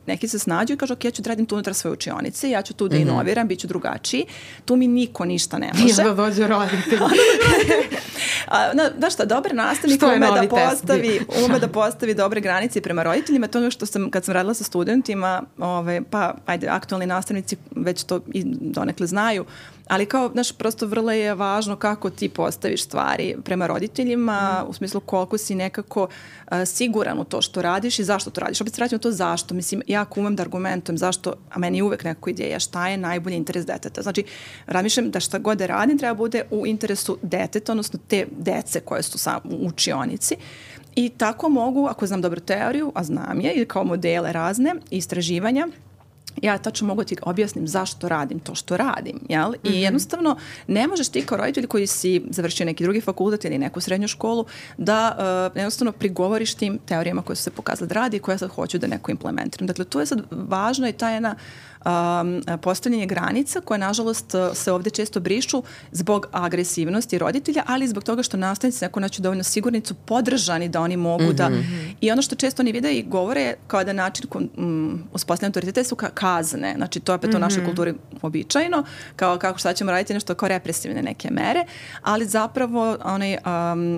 neki se snađu i kažu, ok, ja ću da radim tu unutar svoje učionice, ja ću tu da inoviram, bit ću drugačiji. Tu mi niko ništa ne može. Da dođe roditelj. Znaš šta, dobar nastavnik ume da postavi dobre granice prema roditeljima. To je ono što kad sam radila sa studentima, pa ajde, aktualni nastavnici već to i donekle znaju, ali kao, znaš, prosto vrlo je važno kako ti postaviš stvari prema roditeljima, u smislu koliko si nekako siguran u to što radiš i zašto to radiš. Opet se vraćam to zašto. Mislim, jako umem da argumentujem zašto, a meni je uvek nekako ideja šta je najbolji interes deteta. Znači, razmišljam da šta god da radim treba bude u interesu deteta, odnosno te dece koje su u učionici. I tako mogu, ako znam dobru teoriju, a znam je, ili kao modele razne, istraživanja, ja tačno mogu ti objasnim zašto radim to što radim, jel? I jednostavno ne možeš ti kao roditelj koji si završio neki drugi fakultet ili neku srednju školu da jednostavno prigovoriš tim teorijama koje su se pokazale da radi i koje sad hoću da neko implementiram. Dakle, tu je sad važno i ta jedna postavljanje granica koje nažalost se ovdje često brišu zbog agresivnosti roditelja, ali i zbog toga što nastavnici neko naći dovoljno sigurnicu podržani da oni mogu da... I ono što često oni vide i govore kao da način uspostavljanja autoriteta su kazne. Znači to je opet u našoj kulturi običajno, kao kako šta ćemo raditi nešto kao represivne neke mere, ali zapravo onaj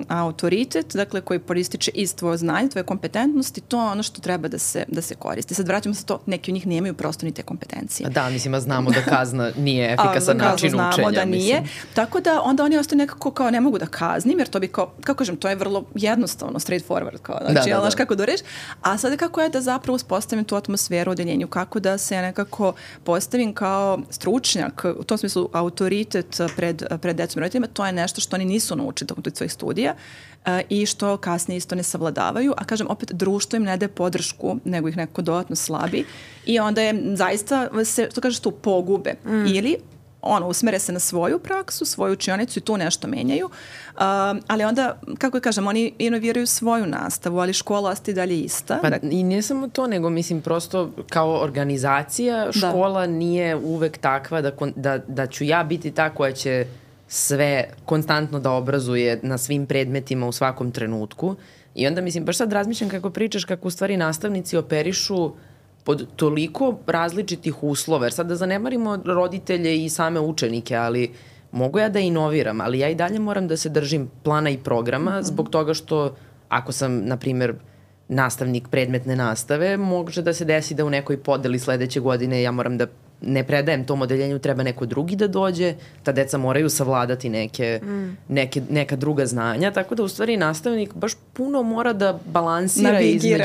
autoritet, dakle koji proističe iz tvoje znanje, tvoje kompetentnosti, to je ono što treba da se koristi. Sad vraćamo se to, neki od njih nemaju prosto ni te kompetencije. Da, mislim, znamo da kazna nije efikasan način učenja. Znamo da nije. Tako da onda oni ostaju nekako kao ne mogu da kaznim, jer to bi kao, kako kažem, to je vrlo jednostavno, straight forward, kao, znači, znaš kako da reći. A sada kako je da zapravo uspostavim tu atmosferu u odeljenju, kako da se nekako postavim kao stručnjak, u tom smislu autoritet pred decom i roditeljima, to je nešto što oni nisu naučili tokom svojih studija i što kasnije isto ne savladavaju, a kažem opet društvo im ne daje podršku, nego ih nekako dodatno slabi i onda je zaista se, to kažeš tu, pogube ili usmere se na svoju praksu, svoju učionicu i tu nešto menjaju, ali onda, kako kažem, oni inoviraju svoju nastavu, ali škola ostaje dalje ista. Pa i ne samo to, nego mislim prosto kao organizacija škola nije uvek takva da ću ja biti ta koja će sve konstantno da obrazuje na svim predmetima u svakom trenutku. I onda mislim, baš sad razmišljam kako pričaš, kako u stvari nastavnici operišu pod toliko različitih uslova, jer sad da zanemarimo roditelje i same učenike, ali mogu ja da inoviram, ali ja i dalje moram da se držim plana i programa zbog toga što ako sam, na primjer, nastavnik predmetne nastave, može da se desi da u nekoj podeli sledeće godine ja moram da ne predajem tom odeljenju, treba neko drugi da dođe, ta deca moraju savladati neka druga znanja, tako da u stvari nastavnik baš puno mora da balansira između,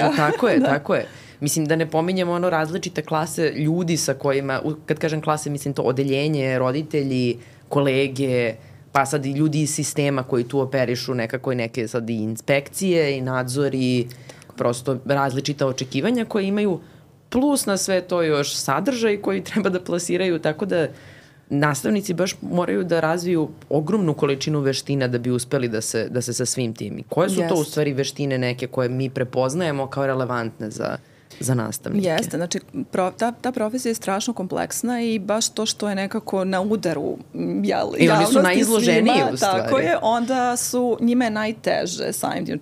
tako je. Mislim da ne pominjemo različite klase ljudi sa kojima, kad kažem klase, mislim to odeljenje, roditelji, kolege, pa sad i ljudi iz sistema koji tu operišu nekako i neke sad i inspekcije i nadzori, prosto različita očekivanja koje imaju, plus na sve to još sadržaj koji treba da plasiraju, tako da nastavnici baš moraju da razviju ogromnu količinu veština da bi uspeli da se sa svim tim. Koje su to u stvari veštine neke koje mi prepoznajemo kao relevantne za nastavnike? Jeste, znači ta profesija je strašno kompleksna i baš to što je nekako na udaru javnosti svima. I oni su najizloženiji u stvari. Tako je, onda su njima najteže samim tim.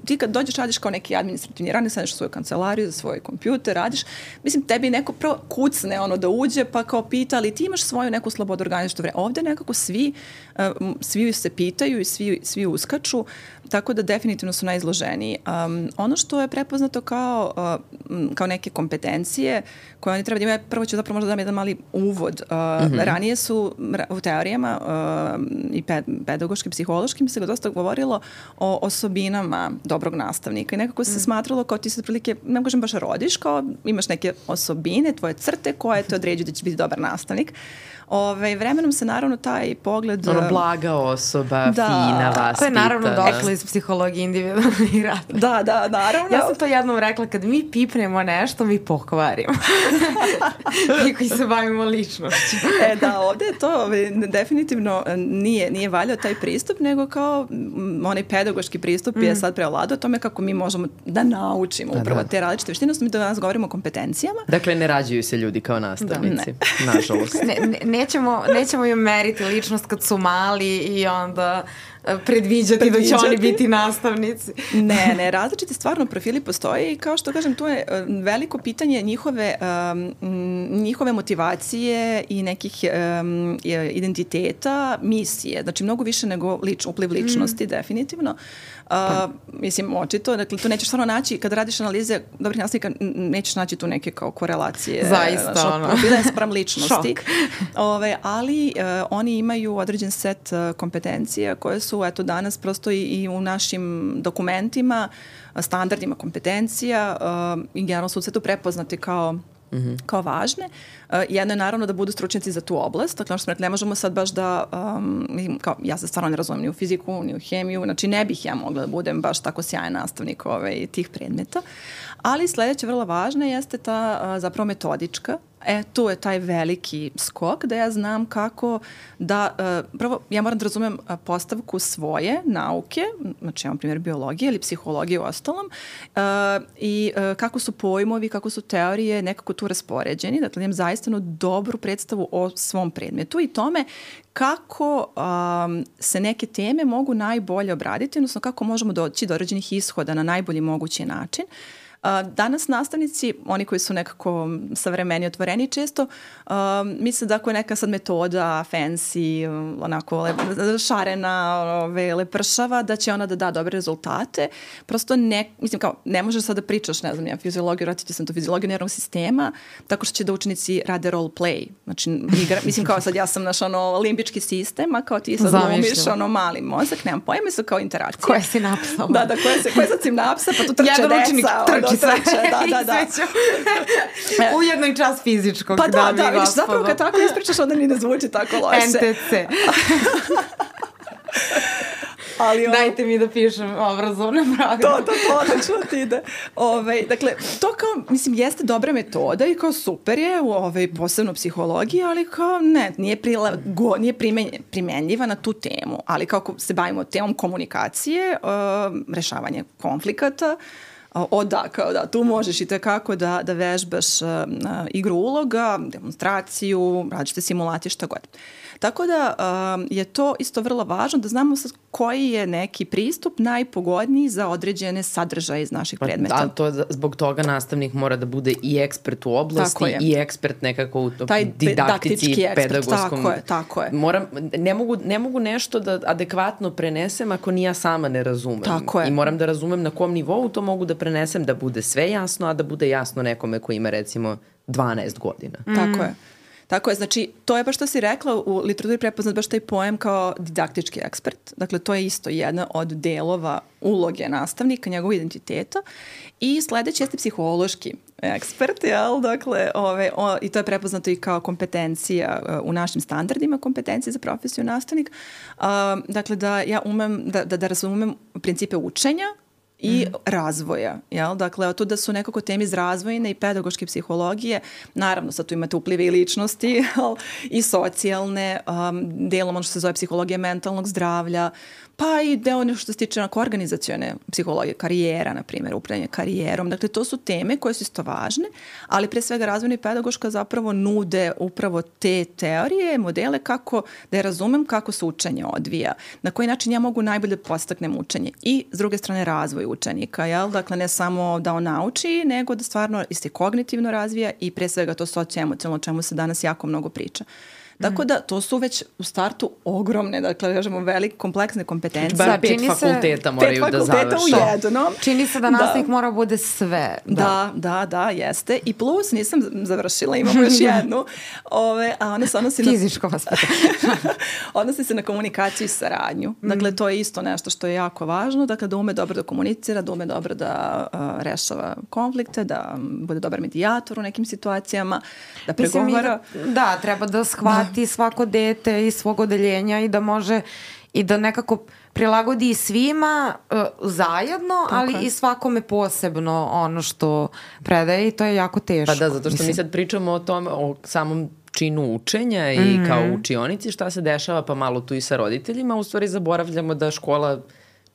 Ti kad dođeš radiš kao neki administrativni radnik, sadeš svoju kancelariju za svoj kompjuter, radiš, mislim tebi neko prvo kucne da uđe pa kao pita, ali ti imaš svoju neku slobodu organizačnog vremena. Ovde nekako svi se pitaju i svi uskaču, tako da definitivno su najizloženiji. Ono što je prepoznato kao kao neke kompetencije koje oni treba da imaju. Prvo ću zapravo možda dam jedan mali uvod. Ranije su u teorijama i pedagoškim, psihološkim se dosta govorilo o osobinama dobrog nastavnika i nekako se smatralo kao ti se otprilike, ne kažem baš rodiš, kao imaš neke osobine, tvoje crte koje te određuju da će biti dobar nastavnik. Vremenom se naravno taj pogled... blaga osoba, fina, vaspitana. To je naravno došlo iz psihologije individualnih rada. Da, naravno. Ja sam to jednom rekla, kad mi pipnemo nešto, mi pokvarimo. Mi koji se bavimo ličnošću. Ovde je to definitivno nije valjao taj pristup, nego kao onaj pedagoški pristup je sad preovladao o tome kako mi možemo da naučimo upravo te različite veštine. Mi danas govorimo o kompetencijama. Dakle, ne rađuju se ljudi kao nastavnici. Nažalost. Nećemo im meriti ličnost kad su mali i onda predviđati da će oni biti nastavnici. Ne, različiti stvarno profili postoje i kao što kažem, tu je veliko pitanje njihove motivacije i nekih identiteta, misije. Znači, mnogo više nego upliv ličnosti, definitivno. Mislim, očito, dakle, tu nećeš stvarno naći, kada radiš analize dobrih nastavnika, nećeš naći tu neke kao korelacije. Zaista, profila sprem ličnosti. Ali oni imaju određen set kompetencija koje su danas prosto i u našim dokumentima, standardima kompetencija i generalno su sve to prepoznati kao važne. Jedno je naravno da budu stručnjaci za tu oblast. Dakle, što smo rekli, ne možemo sad baš da, ja se stvarno ne razumem ni u fiziku, ni u hemiju, znači ne bih ja mogla da budem baš tako sjajan nastavnik tih predmeta. Ali sledeća vrlo važna jeste ta zapravo metodička. Tu je taj veliki skok da ja znam kako da, prvo ja moram da razumem postavku svoje nauke, znači imam primjer biologije ili psihologije u ostalom, i kako su pojmovi, kako su teorije nekako tu raspoređeni, dakle imam zaista dobru predstavu o svom predmetu i tome kako se neke teme mogu najbolje obraditi, odnosno kako možemo doći do određenih ishoda na najbolji mogući način. Danas nastavnici, oni koji su nekako savremeni, otvoreni, često misle da ako je neka sad metoda fancy, onako šarena, lepršava, da će ona da da dobre rezultate. Prosto ne možeš sad da pričaš, ne znam, fiziologiju, vratit ću sam to fiziologiju nervnog sistema, tako što će da učenici rade role play. Znači, mislim kao sad ja sam naš limbički sistem, a kao ti sad glumiš mali mozak, nemam pojma, su kao interakcije. Koje si napsala? Da, koje sad si napsa, pa tu trče deca. Da. Ujedno i čas fizičkog. Pa da, vidiš, zapravo kad tako ispričaš, onda ni ne zvuči tako loše. NTC. Dajte mi da pišem obrazovne programe. To odlično ti ide. Dakle, to kao, mislim, jeste dobra metoda i kao super je u posebno psihologiji, ali kao nije primenljiva na tu temu. Ali kako se bavimo temom komunikacije, rešavanje konflikata, tu možeš i tekako da vežbaš igru uloga, demonstraciju, različite simulacije, šta god. Tako da je to isto vrlo važno da znamo koji je neki pristup najpogodniji za određene sadržaje iz naših predmeta. Zbog toga nastavnik mora da bude i ekspert u oblasti i ekspert nekako u didaktici, pedagogskom. Tako je. Ne mogu nešto da adekvatno prenesem ako ni ja sama ne razumem. I moram da razumem na kom nivou to mogu da prenesem, da bude sve jasno, a da bude jasno nekome koji ima recimo 12 godina. Tako je, znači to je baš što si rekla, u literaturi prepoznat baš taj pojam kao didaktički ekspert. Dakle, to je isto jedna od delova uloge nastavnika, njegovog identiteta. I sledeći jeste psihološki ekspert, jel? Dakle, i to je prepoznato i kao kompetencija u našim standardima, kompetencije za profesiju nastavnik. Dakle, da ja umem da razumem principe učenja i razvoja. Jel? Dakle, to da su nekako teme iz razvojne i pedagoške psihologije, naravno sad tu imate uplive i ličnosti i socijalne, delom ono što se zove psihologija mentalnog zdravlja, pa i deo nešto što se tiče organizacione psihologije, karijera, na primjer, upravljanje karijerom. Dakle, to su teme koje su isto važne, ali pre svega razvojna i pedagoška zapravo nude upravo te teorije, modele kako da je razumem kako se učenje odvija, na koji način ja mogu najbolje postaknem učenje i s druge strane razvoj učenika, jel? Dakle, ne samo da on nauči, nego da stvarno se kognitivno razvija i pre svega to socioemocionalno, o čemu se danas jako mnogo priča. Tako da to su već u startu ogromne, dakle, kažemo, velike, kompleksne kompetencije. Bar 5 fakulteta moraju da završi. 5 fakulteta u jednom. Čini se da nastavnik mora bude sve. Da, jeste. I plus, nisam završila, imamo još jednu, a ona se odnosi na... Fizičko vaspitanje. Odnosi se na komunikaciju i saradnju. Dakle, to je isto nešto što je jako važno, dakle, da ume dobro da komunicira, da ume dobro da rešava konflikte, da bude dobar medijator u nekim situacijama, da pregovara. Da, treba da shvati svako dete iz svog odeljenja i da može i da nekako prilagodi svima zajedno, ali i svakome posebno ono što predaje i to je jako teško. Pa da, zato što mi sad pričamo o tom, o samom činu učenja i kao učionici šta se dešava, pa malo tu i sa roditeljima, u stvari zaboravljamo da škola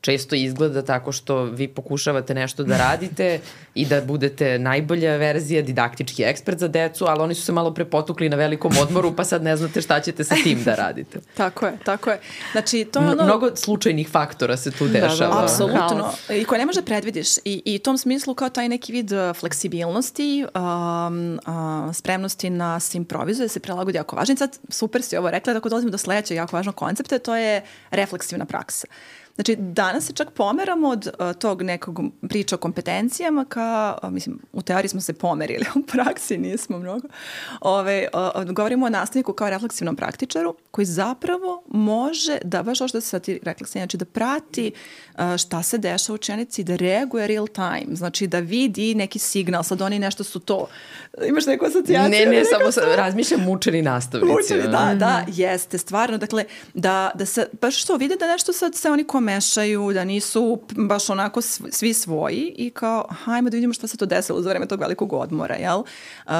često izgleda tako što vi pokušavate nešto da radite i da budete najbolja verzija, didaktički ekspert za decu, ali oni su se malo prepotukli na velikom odmoru, pa sad ne znate šta ćete sa tim da radite. Tako je. Znači, to ono... Mnogo slučajnih faktora se tu dešava. Da, apsolutno. I koje ne može predvidiš. I u tom smislu kao taj neki vid fleksibilnosti, spremnosti na se improvizuje, se prilagodi jako važno. Sad, super si ovo rekla, tako dolazimo do sledećeg jako važnog koncepta, to je refleksivna praksa. Znači, danas se čak pomeramo od tog nekog priča o kompetencijama ka, mislim, u teoriji smo se pomerili, u praksi nismo mnogo. Govorimo o nastavniku kao refleksivnom praktičaru koji zapravo može da, baš ovo što se ti rekla, znači da prati šta se dešava u učenici, da reaguje real time, znači da vidi neki signal, sad oni nešto su to. Imaš neku asocijaciju? Ne, samo razmišljam mučeni nastavnici. Da, jeste, stvarno, dakle, da se, baš što vide da nešto sad se oni mešaju, da nisu baš onako svi svoji i kao, hajmo da vidimo šta se to desilo za vreme tog velikog odmora, jel?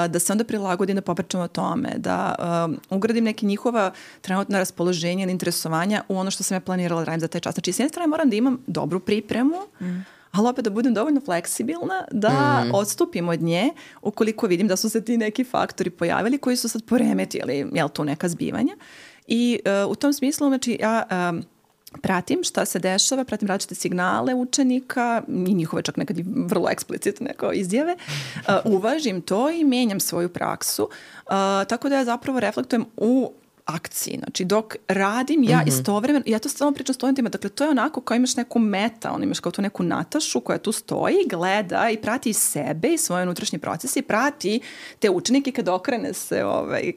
Da se onda prilagodim, da popričam o tome, da ugradim neke njihova trenutna raspoloženja ili interesovanja u ono što sam ja planirala da radim za taj čas. Znači, s jedne strane moram da imam dobru pripremu, ali opet da budem dovoljno fleksibilna da odstupim od nje ukoliko vidim da su se ti neki faktori pojavili koji su sad poremetili, jel, tu neka zbivanja. I u tom smislu, znači, ja pratim šta se dešava, pratim različite signale učenika i njihove čak nekad i vrlo eksplicitne neko izjave, uvažim to i menjam svoju praksu, tako da ja zapravo reflektujem u akciji. Znači, dok radim ja istovremeno, ja to stalno pričam studentima, dakle, to je onako kao imaš neku meta, imaš kao tu neku Natašu koja tu stoji, gleda i prati sebe i svoje unutrašnje procese i prati te učenike kad okrene se,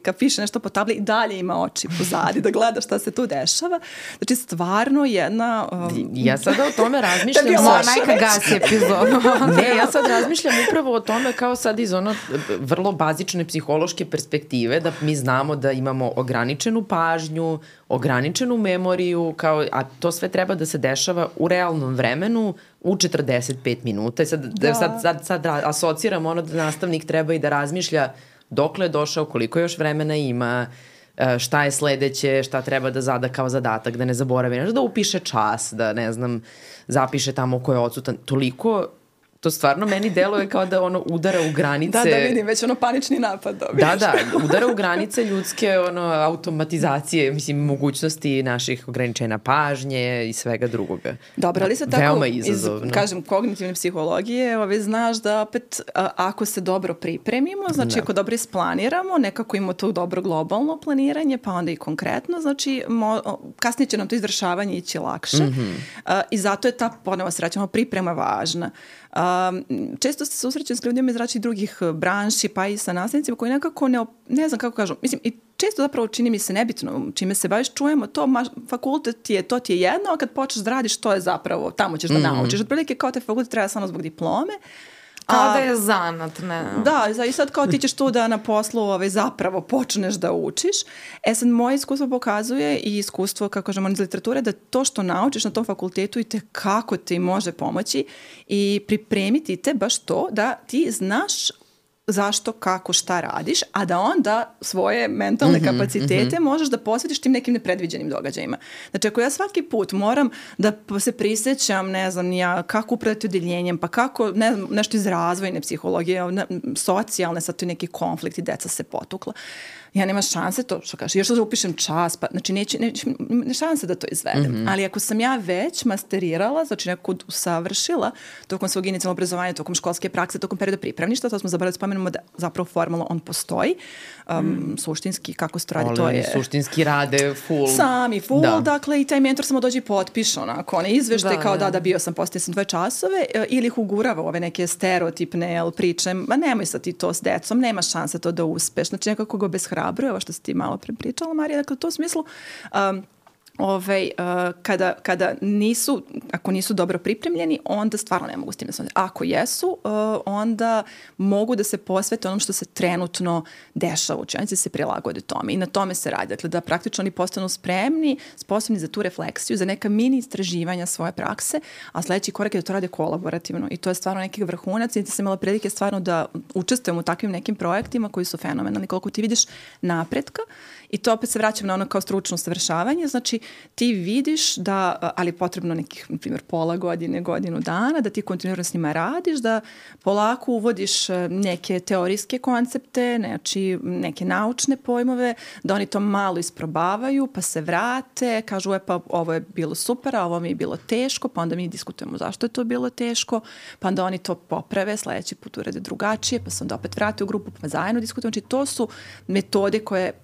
kad piše nešto po tabli i dalje ima oči pozadi da gleda šta se tu dešava. Znači, stvarno jedna... Ja sada o tome razmišljam... Majka gasi epizodu. Ne, ja sad razmišljam upravo o tome kao sad iz ono vrlo bazične psihološke perspektive, da mi znamo da imamo ograničenu pažnju, ograničenu memoriju, a to sve treba da se dešava u realnom vremenu u 45 minuta. I sad asociram ono da nastavnik treba i da razmišlja dokle je došao, koliko još vremena ima, šta je sledeće, šta treba da zada kao zadatak, da ne zaboravi, da upiše čas, da ne znam, zapiše tamo ko je odsutan. Toliko... To stvarno meni deluje kao da ono udara u granice... Da vidim, već ono panični napad dobiješ. Da, udara u granice ljudske automatizacije, mislim, mogućnosti naših ograničenja pažnje i svega drugoga. Dobro, ali se tako, veoma izazovno. Kažem, kognitivne psihologije, znaš da opet, ako se dobro pripremimo, znači ako dobro isplaniramo, nekako imamo to dobro globalno planiranje, pa onda i konkretno, znači kasnije će nam to izvršavanje ići lakše. I zato je ta, ponovo se vraćamo, priprema važna. Često se susrećem s ljudima iz različitih drugih branši, pa i sa nastavnicima koji nekako ne znam kako kažu, mislim, i često zapravo čini mi se nebitno čime se baviš, čujemo to, fakultet to ti je jedno, a kad počneš da radiš, to je zapravo, tamo ćeš da naučiš. Otprilike kao te fakultet treba samo zbog diplome. Kao da je zanat, ne. Da, i sad kao ti ćeš tu da na poslu zapravo počneš da učiš. Sad moje iskustvo pokazuje i iskustvo, kako kažemo, iz literature, da to što naučiš na tom fakultetu i kako ti može pomoći i pripremiti te baš to da ti znaš zašto, kako, šta radiš, a da onda svoje mentalne kapacitete možeš da posvetiš tim nekim nepredviđenim događajima. Znači, ako ja svaki put moram da se prisjećam, ne znam, kako upravljati odeljenjem, pa kako, ne znam, nešto iz razvojne psihologije, socijalne, sad tu neki konflikti, deca se potukla. ja nema šanse to, što kaže, još da upišem čas, pa, znači ne šanse da to izvedem. Ali ako sam ja već masterirala, znači neko usavršila tokom svog inicijalnog obrazovanja, tokom školske prakse, tokom perioda pripravništva, to smo zaboravili da spomenemo da zapravo formalno on postoji. Suštinski, kako se to radi, to je... Suštinski rade full. Sami full, dakle, i taj mentor samo dođe i potpiše onako, one izveštaje kao da bio sam, postoje sam 2 časove, ili ih ugurava ove neke stereotipne priče, ma nemoj sad ti to s decom, nema šanse to da uspeš, znači nekako ga obeshrabruje, ovo što si ti malo pričala, Marija, dakle, u tom smislu, kada ako nisu dobro pripremljeni, onda stvarno ne mogu s tim da se... Ako jesu, onda mogu da se posvete onom što se trenutno dešava u učionici, se prilagode tome i na tome se radi. Dakle, da praktično oni postanu spremni, sposobni za tu refleksiju, za neka mini istraživanja svoje prakse, a sledeći korak je da to rade kolaborativno i to je stvarno neki vrhunac i da sam imala prilike stvarno da učestvujem u takvim nekim projektima koji su fenomenalni, koliko ti vidiš napretka. I to opet se vraćam na ono kao stručno usavršavanje, znači ti vidiš da, ali potrebno nekih, na primjer, pola godine, godinu dana, da ti kontinuirano s njima radiš, da polako uvodiš neke teorijske koncepte, znači neke naučne pojmove, da oni to malo isprobavaju, pa se vrate, kažu pa ovo je bilo super, a ovo mi je bilo teško, pa onda mi diskutujemo zašto je to bilo teško, pa onda oni to poprave, sledeći put urede drugačije, pa se onda opet vrate u grupu, pa zajedno diskutujemo. Znači to su metode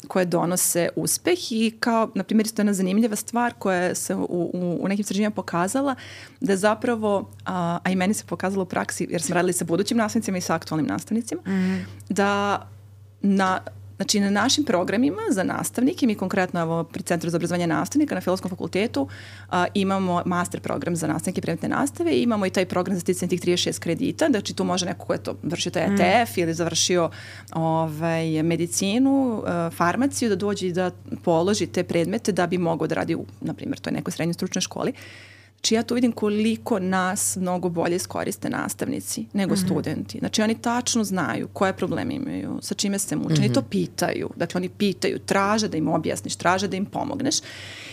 koje donose uspeh i kao, na primjer, isto je jedna zanimljiva stvar koja se u nekim istraživanjima pokazala da zapravo, a i meni se pokazalo u praksi, jer smo radili sa budućim nastavnicima i sa aktualnim nastavnicima, da na našim programima za nastavnike, mi konkretno pri Centru za obrazovanje nastavnika na Filozofskom fakultetu imamo master program za nastavnike i predmetne nastave i imamo i taj program za sticanje tih 36 kredita, znači tu može neko ko je to vršio taj ETF ili završio medicinu, farmaciju, da dođe i da položi te predmete da bi mogao da radi u, na primjer, toj nekoj srednjoj stručnoj školi. Znači ja tu vidim koliko nas mnogo bolje iskoriste nastavnici nego studenti. Znači oni tačno znaju koje probleme imaju, sa čime se muče. Oni to pitaju. Dakle, oni pitaju, traže da im objasniš, traže da im pomogneš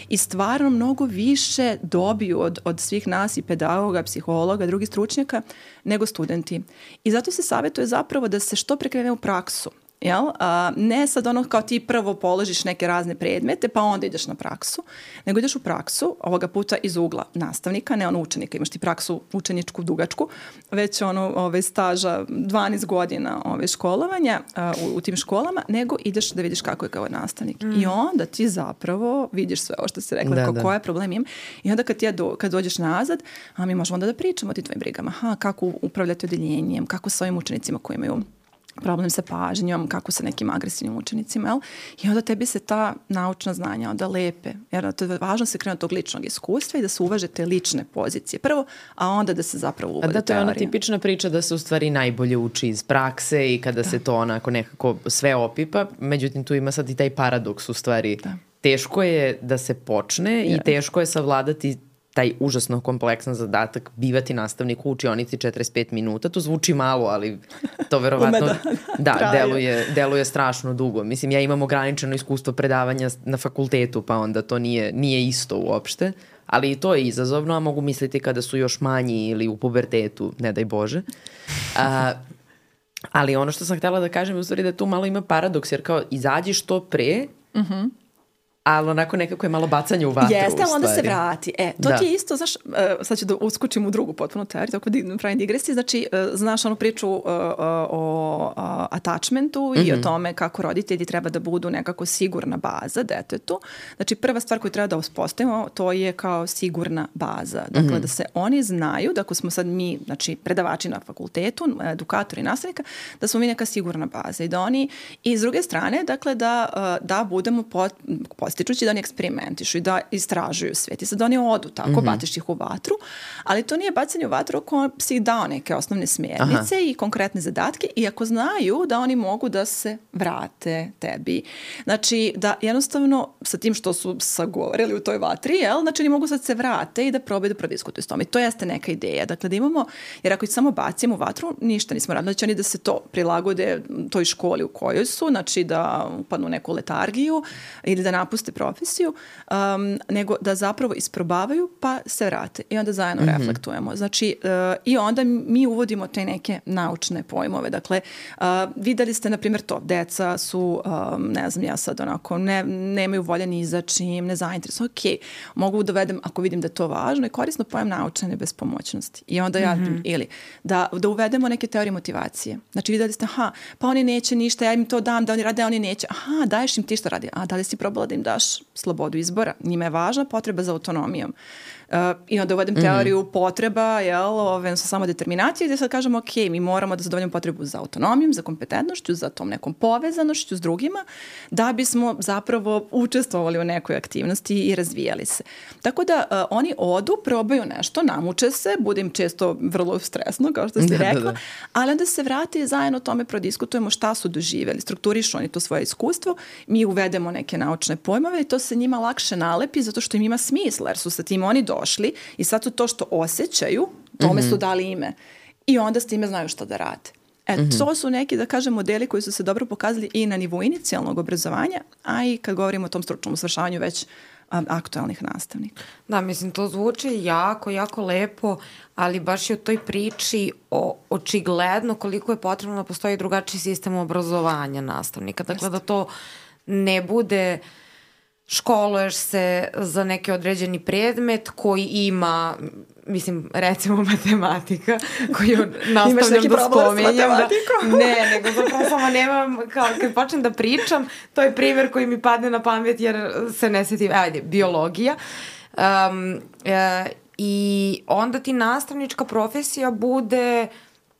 i stvarno mnogo više dobiju od svih nas i pedagoga, psihologa, drugih stručnjaka nego studenti. I zato se savjetuje zapravo da se što pre krene u praksu. Jel? Ne sad ono kao ti prvo položiš neke razne predmete pa onda ideš na praksu, nego ideš u praksu ovoga puta iz ugla nastavnika, ne ono učenika, imaš ti praksu učeničku dugačku, već ono staža 12 godina školovanja u tim školama, nego ideš da vidiš kako je kao nastavnik. I onda ti zapravo vidiš sve ovo što si rekla, koje problem ima. I onda kad dođeš nazad, a mi možemo onda da pričamo o ti tvojim brigama. Kako upravljati odeljenjem, kako sa ovim učenicima koji imaju problem sa pažnjom, kako sa nekim agresivnim učenicima, jel? I onda tebi se ta naučna znanja onda lepe. Jer to je važno se krenuti od tog ličnog iskustva i da se uvaže te lične pozicije prvo, a onda da se zapravo uvode teorije. Da, to je ona tipična priča da se u stvari najbolje uči iz prakse i kada se to onako nekako sve opipa. Međutim, tu ima sad i taj paradoks u stvari. Teško je da se počne i teško je savladati taj užasno kompleksan zadatak bivati nastavnik u učionici 45 minuta. To zvuči malo, ali to verovatno deluje strašno dugo. Mislim, ja imam ograničeno iskustvo predavanja na fakultetu, pa onda to nije isto uopšte. Ali i to je izazovno, a mogu misliti kada su još manji ili u pubertetu, ne daj Bože. Ali ono što sam htjela da kažem je u stvari da tu malo ima paradoks, jer kao izađi što pre, ali onako nekako je malo bacanje u vatru. Jeste, ali onda se vrati. To ti je isto, znaš, sad ću da uskočim u drugu potpuno teoriju, tako da pravim digresiju, znači, znaš onu priču o attachmentu i o tome kako roditelji treba da budu nekako sigurna baza detetu. Znači, prva stvar koju treba da uspostavimo, to je kao sigurna baza. Dakle, da se oni znaju, da ako smo sad mi, znači, predavači na fakultetu, edukatori, nastavnika, da smo mi neka sigurna baza i da oni, i s druge strane, dakle, da budemo postičući da oni eksperimentišu i da istražuju svet i sad oni odu tako, batiš ih u vatru, ali to nije bacanje u vatru ako si ih dao neke osnovne smjernice i konkretne zadatke i ako znaju da oni mogu da se vrate tebi. Znači da jednostavno sa tim što su sagovorili u toj vatri, znači oni mogu sad se vrate i da probaju da prodiskutuju s tome. I to jeste neka ideja. Dakle da imamo, jer ako ih samo bacimo u vatru, ništa nismo radili. Znači oni da se to prilagode toj školi u kojoj su, znači da upadnu u neku letargiju ili da napuste napuste profesiju, nego da zapravo isprobavaju pa se vrate i onda zajedno reflektujemo. Znači, i onda mi uvodimo te neke naučne pojmove. Dakle, videli ste, na primjer, to, deca su, ne znam, ja sad onako, nemaju volje ni za čim, ne zainteresuju. Ok, mogu dovedem, ako vidim da je to važno, i korisno pojam naučene bespomoćnosti. I onda ili da uvedemo neke teorije motivacije. Znači, videli ste, pa oni neće ništa, ja im to dam, da oni rade, a oni neće. Daješ im ti što radi. Da li si probala da im daš slobodu izbora? Njima je važna potreba za autonomijom. I onda uvedem teoriju potreba, samo determinacije, gdje sad kažemo, ok, mi moramo da zadovoljimo potrebu za autonomijom, za kompetentnošću, za tom nekom povezanošću s drugima, da bismo zapravo učestvovali u nekoj aktivnosti i razvijali se. Tako da oni odu, probaju nešto, namuče se, bude im često vrlo stresno, kao što si rekla, ali onda se vrati i zajedno o tome prodiskutujemo šta su doživjeli, strukturišu oni to svoje iskustvo, mi uvedemo neke naučne pojmove i to se njima lakše nalepi zato što im ima smisla, jer su sa tim oni došli i sad su to što osjećaju, tome su dali ime. I onda s time znaju šta da rade. To su neki, da kažem, modeli koji su se dobro pokazali i na nivou inicijalnog obrazovanja, a i kad govorimo o tom stručnom usavršavanju već aktualnih nastavnika. Da, mislim, to zvuči jako, jako lepo, ali baš je u toj priči očigledno koliko je potrebno da postoji drugačiji sistem obrazovanja nastavnika. Dakle, da to ne bude školuješ se za neki određeni predmet koji ima, mislim, recimo matematika, koju nastavljam da spomenjem. Ne, nego zapravo samo nemam, kao kad počnem da pričam, to je primjer koji mi padne na pamet jer se ne sjetim, biologija. I onda ti nastavnička profesija bude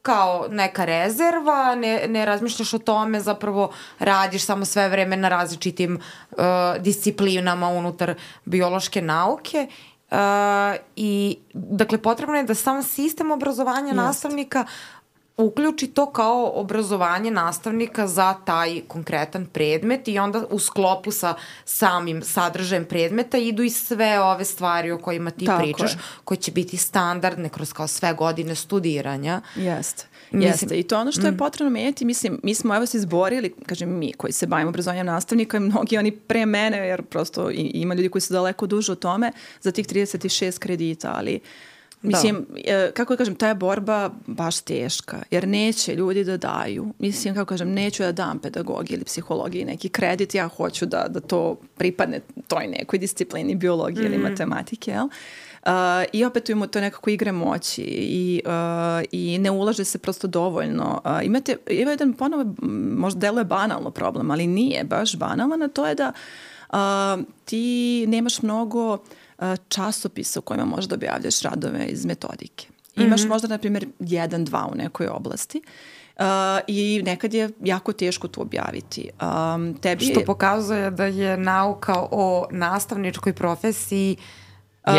kao neka rezerva, ne razmišljaš o tome, zapravo radiš samo sve vreme na različitim disciplinama unutar biološke nauke. I dakle, potrebno je da sam sistem obrazovanja nastavnika uključi to kao obrazovanje nastavnika za taj konkretan predmet i onda u sklopu sa samim sadržajem predmeta idu i sve ove stvari o kojima ti pričaš, koje će biti standardne kroz kao sve godine studiranja. Jeste. I to ono što je potrebno menjati, mislim, mi smo se izborili, kažem mi koji se bavimo obrazovanjem nastavnika i mnogi oni pre mene, jer prosto ima ljudi koji su daleko duže o tome, za tih 36 kredita, ali mislim, kako da kažem, ta je borba baš teška, jer neće ljudi da daju. Mislim, kako kažem, neću da dam pedagogiji ili psihologiji neki kredit, ja hoću da to pripadne toj nekoj disciplini biologije ili matematike, jel? I opet imamo to nekako igre moći i ne ulaže se prosto dovoljno. Ima jedan ponovo, možda deluje banalno problem, ali nije baš banalan, a to je da ti nemaš mnogo časopisa u kojima možeš da objavljaš radove iz metodike. Imaš možda, na primjer, 1-2 u nekoj oblasti i nekad je jako teško to objaviti. Što pokazuje da je nauka o nastavničkoj profesiji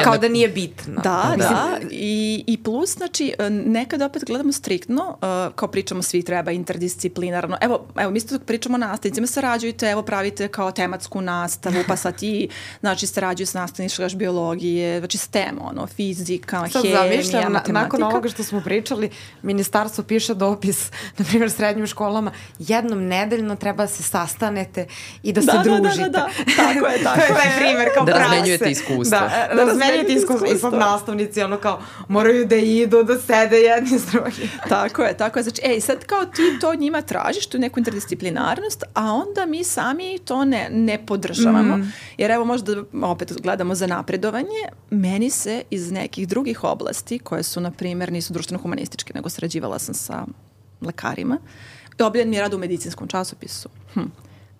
kao da nije bitno. Da. I plus, znači, nekada opet gledamo striktno, kao pričamo svi treba interdisciplinarno. Evo mi isto pričamo o nastavnicima, sarađujte, evo pravite kao tematsku nastavu, pa sad ti, znači, sarađuju s nastavničkaš biologije, znači STEM, fizika, hemija, matematika. Nakon ovoga što smo pričali, ministarstvo piše dopis, na primjer, srednjim školama, jednom nedeljno treba da se sastanete i da se družite. Tako je. To je taj primjer kao prakse. Da razmenjujete iskustva. Razmenjujete iskustva. I sad nastavnici kao moraju da idu, da sede jedni s drugim. Tako je. Znači, sad kao ti to njima tražiš, tu neku interdisciplinarnost, a onda mi sami to ne podržavamo. Jer evo možda opet gledamo za napredovanje, meni se iz nekih drugih oblasti, koje su, na primjer, nisu društveno-humanističke, nego sarađivala sam sa lekarima, i objavljen mi je rad u medicinskom časopisu.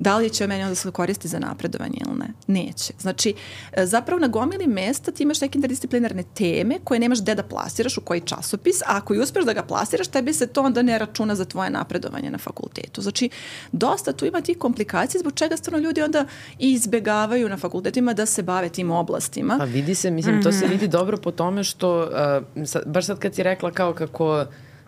Da li će meni onda se koristi za napredovanje ili ne? Neće. Znači, zapravo na gomili mesta ti imaš neke interdisciplinarne teme koje nemaš gde da plasiraš, u koji časopis, a ako i uspeš da ga plasiraš, tebi se to onda ne računa za tvoje napredovanje na fakultetu. Znači, dosta tu ima tih komplikacija zbog čega stvarno ljudi onda izbegavaju na fakultetima da se bave tim oblastima. Pa vidi se, mislim, to se vidi dobro po tome što, baš sad kad si rekla kao kako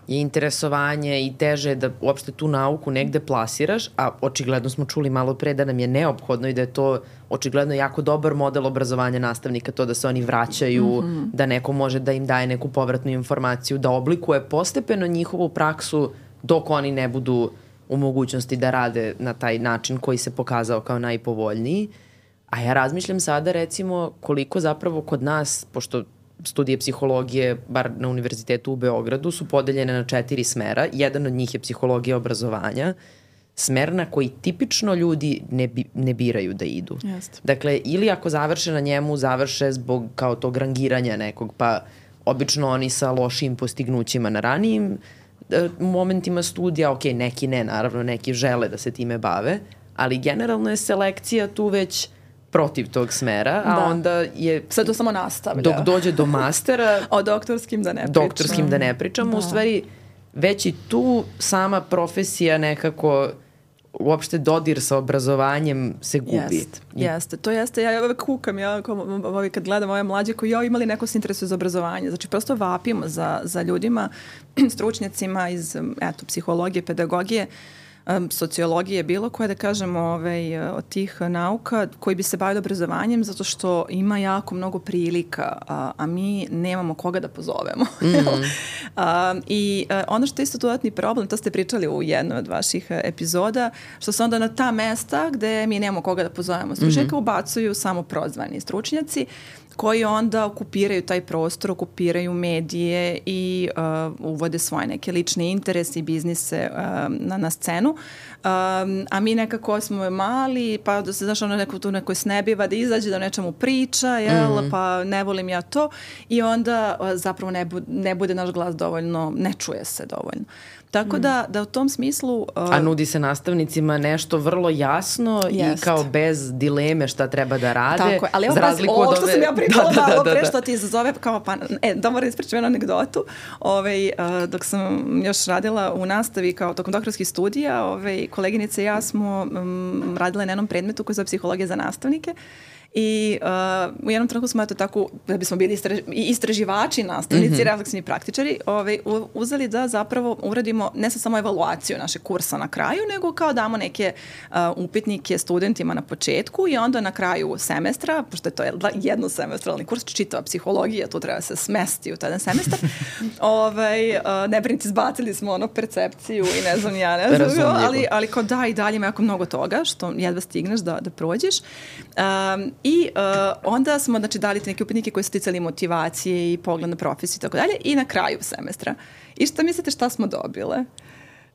je interesovanje i teže da uopšte tu nauku negde plasiraš, a očigledno smo čuli malo pre da nam je neophodno i da je to očigledno jako dobar model obrazovanja nastavnika, to da se oni vraćaju, da neko može da im daje neku povratnu informaciju, da oblikuje postepeno njihovu praksu dok oni ne budu u mogućnosti da rade na taj način koji se pokazao kao najpovoljniji. A ja razmišljam sada recimo koliko zapravo kod nas, pošto studije psihologije, bar na univerzitetu u Beogradu, su podeljene na 4 smera. Jedan od njih je psihologija obrazovanja, smer na koji tipično ljudi ne biraju da idu. Jeste. Dakle, ili ako završe na njemu, završe zbog kao tog rangiranja nekog, pa obično oni sa lošim postignućima na ranijim momentima studija, ok, neki ne, naravno, neki žele da se time bave, ali generalno je selekcija tu već protiv tog smera, a onda je... Sve to samo nastavlja. Dok dođe do mastera... O doktorskim da ne pričamo. Doktorskim da ne pričamo, u stvari već i tu sama profesija nekako uopšte dodir sa obrazovanjem se gubi. Jeste. To jeste. Ja uvek kukam, kad gledam ove mlađe koji imali neko se interesuje za obrazovanje. Znači, prosto vapimo za ljudima, stručnjacima iz psihologije, pedagogije, sociologije, bilo koje, da kažemo, od tih nauka koji bi se bavili obrazovanjem, zato što ima jako mnogo prilika, a mi nemamo koga da pozovemo. I ono što je isto dodatni problem, to ste pričali u jednoj od vaših epizoda, što se onda na ta mesta gde mi nemamo koga da pozovemo stručnjaka ubacuju samo prozvani stručnjaci, koji onda okupiraju taj prostor, okupiraju medije i uvode svoje neke lične interese i biznise na scenu. A mi nekako smo mali, pa da se, znaš, neko tu neko snebiva da izađe, da nečemu priča, pa ne volim ja to. I onda zapravo ne bude naš glas dovoljno, ne čuje se dovoljno. Tako da u tom smislu... A nudi se nastavnicima nešto vrlo jasno i kao bez dileme šta treba da rade. Tako je, ali ovo što sam ja pričala malo pre što ti izazove, kao da moram ispričati jednu anegdotu. Dok sam još radila u nastavi kao tokom doktorskih studija, koleginice i ja smo radile na jednom predmetu koji je psihologija za nastavnike. I u jednom trenutku smo tako, da bismo bili istraživači, nastavnici, refleksivni praktičari, uzeli da zapravo uradimo ne samo evaluaciju našeg kursa na kraju, nego kao damo neke upitnike studentima na početku i onda na kraju semestra, pošto je to jednosemestralni kurs, čitava psihologija, tu treba se smesti u taj semestar, ne brinite, izbacili smo percepciju i ne znam ja, ali kao da i dalje ima jako mnogo toga što jedva stigneš da prođeš. I onda smo dali te neke upitnike koji su ticali motivacije i pogled na profesiju i tako dalje i na kraju semestra. I šta mislite šta smo dobile?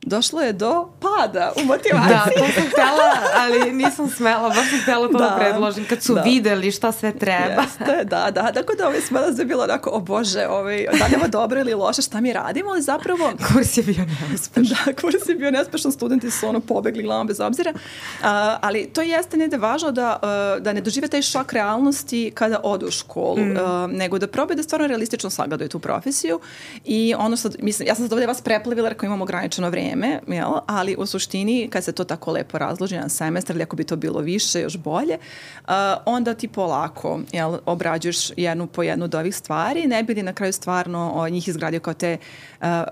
Došlo je do pada u motivaciji. Da, to sam htjela, ali nisam smela, baš sam htjela to da predložim kad su videli šta sve treba. Jeste, da. Tako da smela da je bilo onako, o Bože, da li je ovo dobro ili loše, šta mi radimo, ali zapravo... Kurs je bio neuspešan. Da, kurs je bio neuspešan, studenti su pobegli glavom bez obzira, ali to jeste negde važno da ne dožive taj šok realnosti kada odu u školu, nego da probaju da stvarno realistično sagledaju tu profesiju i ono što, mislim, ja sam sad ovdje vas preplavila jer imam ograničeno vrijeme, ali u suštini kad se to tako lepo razloži na semestar ili ako bi to bilo više, još bolje, onda ti polako obrađuješ jednu po jednu od ovih stvari, ne bi li na kraju stvarno njih izgradio kao te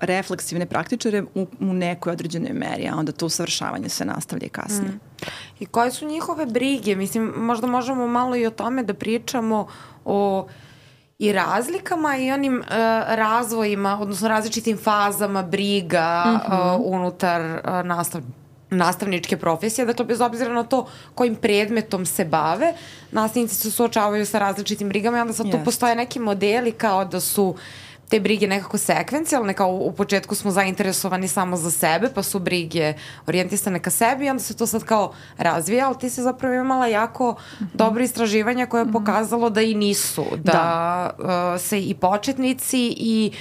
refleksivne praktičare u nekoj određenoj meri, a onda to usavršavanje se nastavlja kasnije. I koje su njihove brige? Mislim, možda možemo malo i o tome da pričamo o i razlikama i onim razvojima, odnosno različitim fazama briga unutar nastavničke profesije. Dakle, bez obzira na to kojim predmetom se bave, nastavnici se suočavaju sa različitim brigama i onda sad tu postoje neki modeli kao da su te brige nekako sekvencijalne, kao u početku smo zainteresovani samo za sebe, pa su brige orijentisane ka sebi i onda se to sad kao razvija, ali ti si zapravo imala jako dobro istraživanja koje je pokazalo da i nisu, da se i početnici i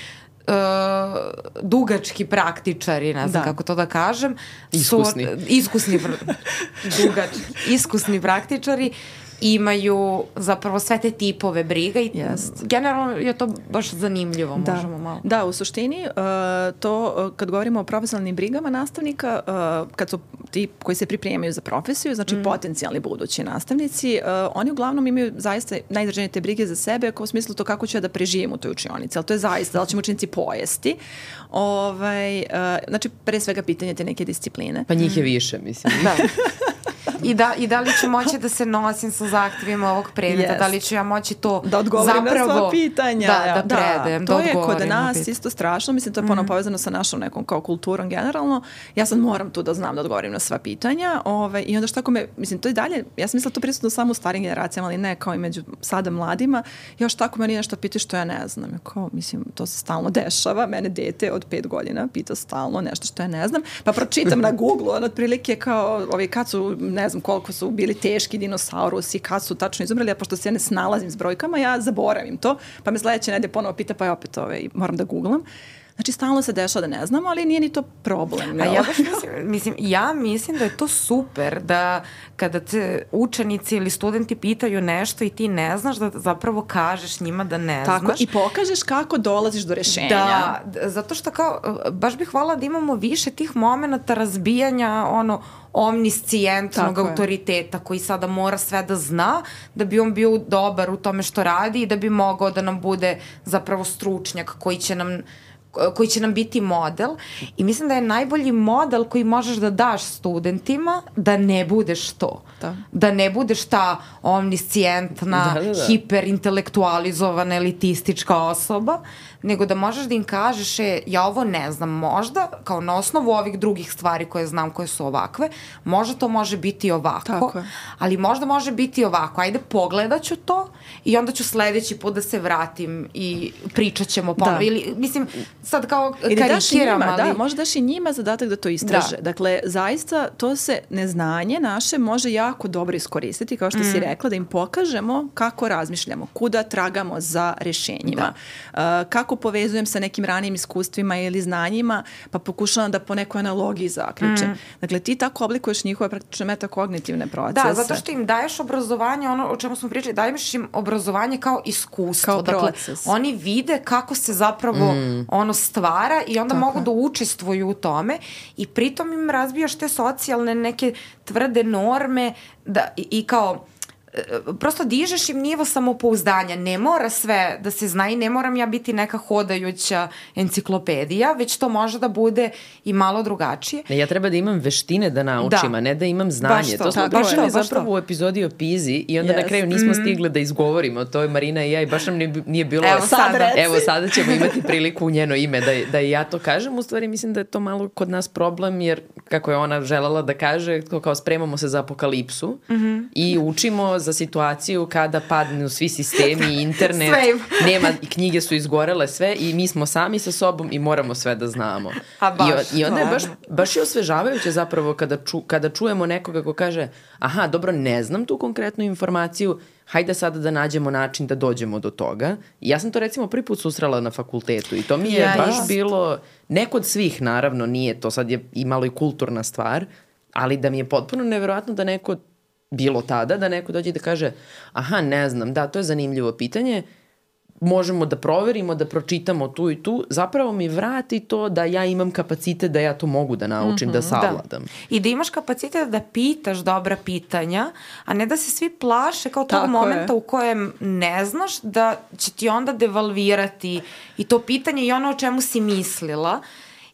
dugački praktičari, ne znam kako to da kažem, iskusni praktičari imaju zapravo sve te tipove briga i generalno je to baš zanimljivo, možemo malo. Da, u suštini to kad govorimo o profesionalnim brigama nastavnika, kad su ti koji se pripremaju za profesiju, znači potencijalni budući nastavnici, oni uglavnom imaju zaista najizraženije te brige za sebe, kao u smislu to kako ću ja da preživim u toj učionici, ali to je zaista, da li ćemo učenici pojesti. Znači, pre svega pitanje te neke discipline. Pa njih je više, mislim. Da. I da li ću moći da se nosim sa zahtjevima ovog predmeta, da li ću ja moći to da odgovorim zapravo, na sva pitanja. Da predem, da odgovorim. To je kod nas isto strašno, mislim to je ponovno povezano sa našom nekom kao kulturom generalno. Ja sad moram tu da znam da odgovorim na sva pitanja i onda što ako mislim to i dalje, ja sam mislila to prisutno samo u starim generacijama, ali ne kao i među sada mladima, još tako meni nešto pita što ja ne znam. Kao, mislim, to se stalno dešava, mene dete od 5 godina pita stalno nešto što ja ne znam, pa pročitam na Google, otprilike kao kad su, ne znam koliko su bili teški dinosaurusi, kad su tačno izumreli, a pošto se ja ne snalazim s brojkama, ja zaboravim to, pa me sledeće nedelje ponovo pita, pa ja opet moram da googlam. Znači, stalno se dešava da ne znamo, ali nije ni to problem. A ja baš mislim da je to super da kada te učenici ili studenti pitaju nešto i ti ne znaš, da zapravo kažeš njima da ne znaš. Tako, i pokažeš kako dolaziš do rešenja. Da, zato što kao, baš bih hvala da imamo više tih momenta razbijanja omniscijentnog autoriteta koji sada mora sve da zna da bi on bio dobar u tome što radi i da bi mogao da nam bude zapravo stručnjak koji će nam biti model i mislim da je najbolji model koji možeš da daš studentima da ne budeš to. Da ne budeš ta omniscijentna, hiperintelektualizovana, elitistička osoba, nego da možeš da im kažeš ja ovo ne znam, možda kao na osnovu ovih drugih stvari koje znam koje su ovakve, možda to može biti ovako, ali možda može biti ovako, ajde pogledat ću to i onda ću sledeći put da se vratim i pričat ćemo ponovno. Ili, mislim, sad kao karikiram, ali... Da, možda daš i njima zadatak da to istraže. Dakle, zaista to se neznanje naše može jako dobro iskoristiti, kao što si rekla, da im pokažemo kako razmišljamo, kuda tragamo za rešenjima, kako povezujem sa nekim ranijim iskustvima ili znanjima, pa pokušavam da po nekoj analogiji zaključim. Dakle, ti tako oblikuješ njihove praktično metakognitivne procese. Da, zato što im daješ obrazovanje, ono o čemu smo pričali, daješ im obrazovanje kao iskustvo. Kao proces. Dakle, oni vide kako se zapravo ono stvara i onda mogu da učestvuju u tome i pritom im razbijaš te socijalne neke tvrde norme i kao prosto dižeš im nivo samopouzdanja. Ne mora sve da se zna i ne moram ja biti neka hodajuća enciklopedija, već to može da bude i malo drugačije. Ja treba da imam veštine da naučim, a ne da imam znanje. To smo pričali zapravo u epizodi o PISA-i i onda na kraju nismo stigli da izgovorimo. To je Marina i ja i baš nam nije bilo... Evo sada ćemo imati priliku u njeno ime da i ja to kažem. U stvari mislim da je to malo kod nas problem jer kako je ona želela da kaže, kao spremamo se za apokalipsu i učimo za situaciju kada padnu svi sistemi, internet, nema, knjige su izgorele sve i mi smo sami sa sobom i moramo sve da znamo. I onda je baš je osvežavajuće zapravo kada čujemo nekoga ko kaže aha, dobro, ne znam tu konkretnu informaciju, hajde sada da nađemo način da dođemo do toga. I ja sam to recimo prvi put susrela na fakultetu i to mi je baš bilo, ne kod svih naravno, nije to sad je i malo i kulturna stvar, ali da mi je potpuno neverovatno da neko bilo tada, da neko dođe da kaže aha, ne znam, da, to je zanimljivo pitanje, možemo da proverimo, da pročitamo tu i tu, zapravo mi vrati to da ja imam kapacitet da ja to mogu da naučim, da savladam. I da imaš kapacitet da pitaš dobra pitanja, a ne da se svi plaše kao tog momenta u kojem ne znaš da će ti onda devalvirati i to pitanje i ono o čemu si mislila.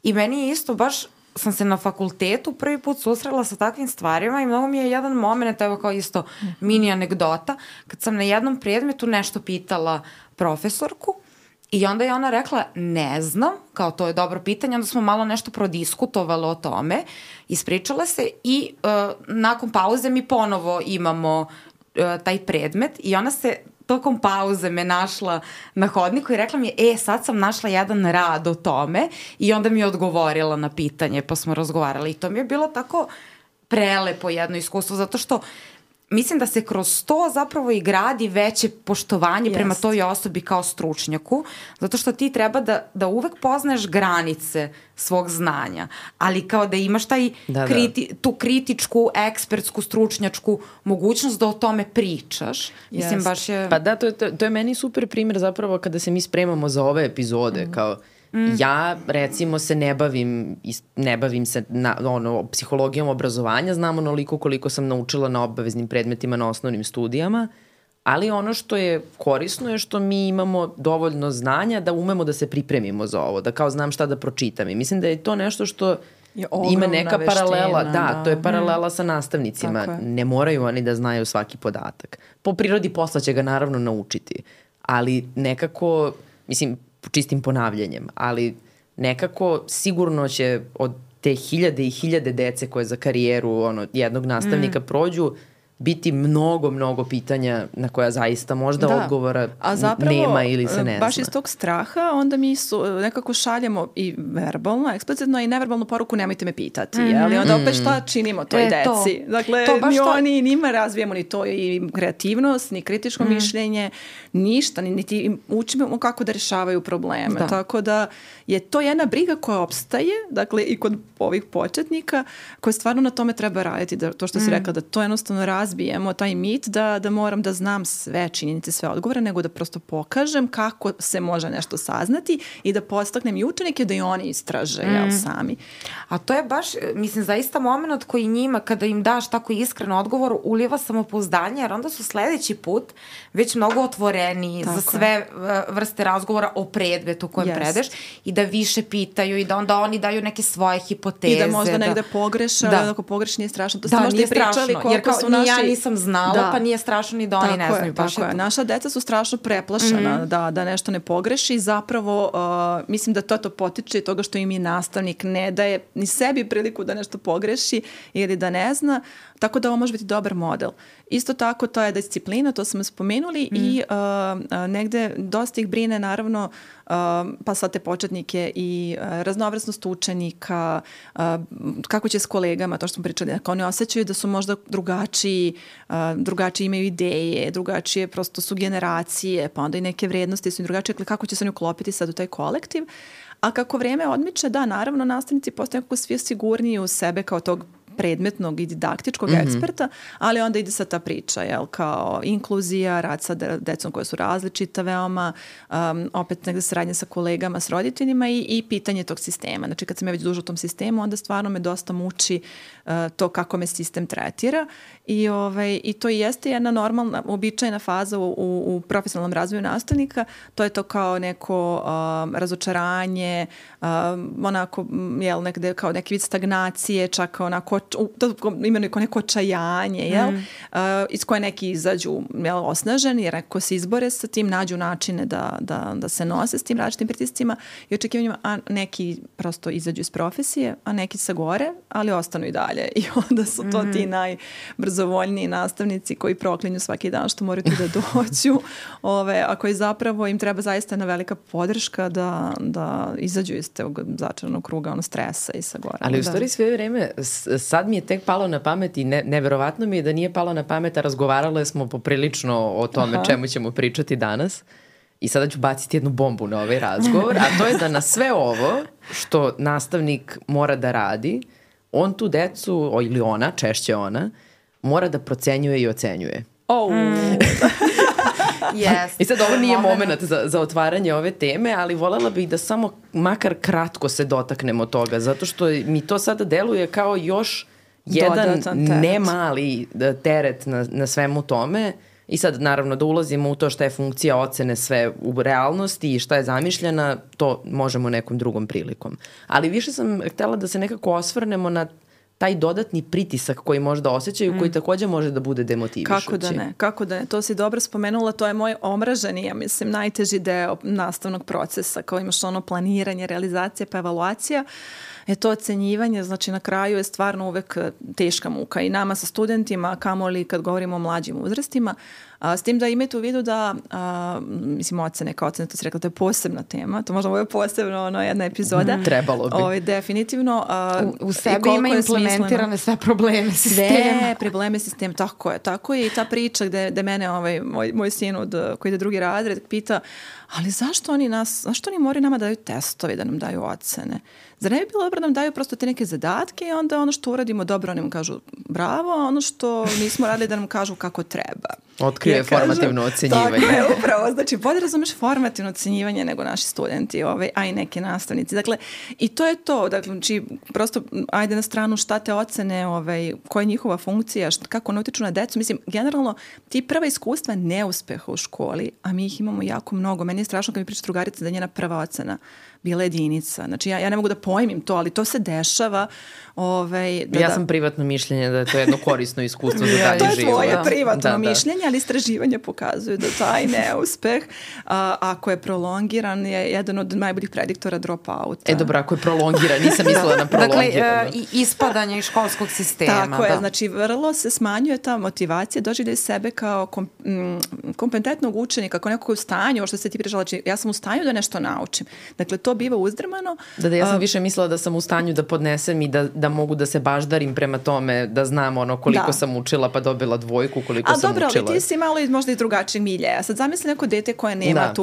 I meni je isto baš sam se na fakultetu prvi put susrela sa takvim stvarima i mnogo mi je jedan moment, evo kao isto mini anegdota, kad sam na jednom predmetu nešto pitala profesorku i onda je ona rekla ne znam, kao to je dobro pitanje, onda smo malo nešto prodiskutovali o tome, ispričala se i nakon pauze mi ponovo imamo taj predmet i ona se tokom pauze me našla na hodniku i rekla mi je, sad sam našla jedan rad o tome i onda mi je odgovorila na pitanje pa smo razgovarali i to mi je bilo tako prelepo jedno iskustvo zato što mislim da se kroz to zapravo i gradi veće poštovanje prema toj osobi kao stručnjaku, zato što ti treba da uvek poznaješ granice svog znanja, ali kao da imaš tu kritičku, ekspertsku, stručnjačku mogućnost da o tome pričaš. Mislim, baš je... Pa da, to je meni super primjer zapravo kada se mi spremamo za ove epizode, kao ja recimo se ne bavim se psihologijom obrazovanja, znam onoliko koliko sam naučila na obaveznim predmetima na osnovnim studijama, ali ono što je korisno je što mi imamo dovoljno znanja da umemo da se pripremimo za ovo, da kao znam šta da pročitam i mislim da je to nešto što ima neka veština, paralela, da, to je paralela sa nastavnicima. Ne moraju oni da znaju svaki podatak. Po prirodi posla će ga naravno naučiti, ali nekako, mislim, čistim ponavljanjem, ali nekako sigurno će od te hiljade i hiljade dece koje za karijeru jednog nastavnika prođu, biti mnogo pitanja na koja zaista možda odgovora nema ili se ne zna. Baš iz tog straha onda mi nekako šaljemo i verbalno, eksplicitno i neverbalnu poruku nemojte me pitati. Ali onda opet šta činimo toj deci? Dakle, ni oni njima razvijemo ni to i kreativnost, ni kritičko mišljenje, ništa, niti im učimo kako da rešavaju probleme. Tako da je to jedna briga koja opstaje, dakle i kod ovih početnika, koje stvarno na tome treba raditi, da, to što si rekla, da to jednostavno razbijemo, taj mit da moram da znam sve činjenice, sve odgovore, nego da prosto pokažem kako se može nešto saznati i da podstaknem i učenike da i oni istraže sami. A to je baš, mislim, zaista moment koji njima, kada im daš tako iskren odgovor, uliva samopouzdanje, jer onda su sledeći put već mnogo otvoreni za sve vrste razgovora o predmetu kojem predeš i da više pitaju i da onda oni daju neke svoje hipoteze. I da možda negde pogreše, ali ako pogreš nije strašno. To ste možda i pričali koliko su naši... Jer kao ja nisam znala, pa nije strašno ni da oni ne znaju. Tako je. Naša deca su strašno preplašena da nešto ne pogreši. Zapravo, mislim da to potiče i toga što im je nastavnik ne daje ni sebi priliku da nešto pogreši ili da ne zna. Tako da ovo može biti dobar model. Isto tako, to je disciplina, to smo spomenuli i negde dosta ih brine, naravno, pa sad te početnike i raznovrsnost učenika, kako će s kolegama, to što smo pričali, ako oni osjećaju da su možda drugačiji imaju ideje, drugačije prosto su generacije, pa onda i neke vrednosti su drugačije, kako će se oni uklopiti sad u taj kolektiv. A kako vreme odmiče, da, naravno, nastavnici postaju nekako svi sigurniji u sebe kao tog predmetnog i didaktičkog eksperta, ali onda ide sa ta priča, kao inkluzija, rad sa decom koje su različita veoma, opet negde saradnja sa kolegama, s roditeljima i pitanje tog sistema. Znači, kad sam ja već duža u tom sistemu, onda stvarno me dosta muči to kako me sistem tretira i to jeste jedna normalna, uobičajena faza u profesionalnom razvoju nastavnika. To je to kao neko razočaranje, onako, nekde kao neki vid stagnacije, čak onako imenuju kao neko očajanje, iz koje neki izađu osnaženi, jer ako se izbore sa tim, nađu načine da se nose s tim različitim pritiscima i očekivanjima, a neki prosto izađu iz profesije, a neki se gore, ali ostanu i dalje. I onda su to ti najbrzovoljniji nastavnici koji proklinju svaki dan što moraju tu da dođu, a koji zapravo im treba zaista jedna velika podrška da izađu iz tog začaranog kruga stresa i sa gore. Ali u stvari sve vreme sad mi je tek palo na pamet i neverovatno mi je da nije palo na pamet, a razgovarale smo poprilično o tome čemu ćemo pričati danas. I sada ću baciti jednu bombu na ovaj razgovor, a to je da na sve ovo što nastavnik mora da radi, on tu decu, ili ona, češće ona, mora da procenjuje i ocenjuje. I sad ovo nije moment za otvaranje ove teme, ali voljela bih da samo makar kratko se dotaknemo toga, zato što mi to sada deluje kao još jedan nemali teret na svemu tome. I sad naravno da ulazimo u to šta je funkcija ocene sve u realnosti i šta je zamišljena, to možemo nekom drugom prilikom. Ali više sam htjela da se nekako osvrnemo na taj dodatni pritisak koji možda osjećaju, koji također može da bude demotivišući. Kako da ne, to si dobro spomenula, to je moj omraženi, ja mislim, najteži deo nastavnog procesa, kao imaš planiranje, realizacija pa evaluacija. To ocenjivanje, znači na kraju je stvarno uvek teška muka i nama sa studentima, kamoli kad govorimo o mlađim uzrastima, s tim da imate u vidu da, mislim, ocene kao ocene, to si rekla, to je posebna tema, to možda ovo je posebno jedna epizoda. Trebalo bi. Definitivno. U sebi ima implementirane sve probleme sistema. Sve probleme sistema, tako je i ta priča gde mene moj sin koji ide drugi razred pita, ali zašto oni moraju nama daju testove, da nam daju ocene? Zar ne bi bilo dobro da nam daju prosto te neke zadatke i onda ono što uradimo dobro, oni mu kažu bravo, ono što nismo radili da nam kažu kako treba. Otkrio formativno ocenjivanje. Tako je, upravo. Znači, bolje razumeš formativno ocenjivanje nego naši studenti, a i neki nastavnici. Dakle, i to je to. Dakle, znači, prosto, ajde na stranu šta te ocene, koja je njihova funkcija, kako ne utiču na decu. Mislim, generalno, ti prva iskustva neuspeha u školi, a mi ih imamo jako mnogo. Meni je strašno kad mi priča drugarica da je njena prva ocena bila jedinica. Znači, ja ne mogu da pojmim to, ali to se dešava. Ja sam privatno mišljenje da je to jedno korisno iskustvo za dalje život. To je tvoje privatno mišljenje, ali istraživanja pokazuju da taj neuspeh, ako je prolongiran, je jedan od najboljih prediktora drop-outa. Dobro, ako je prolongiran, nisam mislila na prolongiran. Dakle, ispadanje iz školskog sistema. Tako je, znači vrlo se smanjuje ta motivacija, doživljaj sebe kao kompetentnog učenika, kao nekog u stanju, što se ti pričala, znači ja sam u stanju da nešto naučim. Dakle, to biva uzdrmano. Da, ja sam više mislila da sam u stanju da podnesem i da mogu da se baždarim prema tome, da znam koliko sam učila pa dobila dvojku, koliko sam učila. A dobro, ali ti si malo možda i drugačijeg miljeja. Sad zamisli neko dete koje nema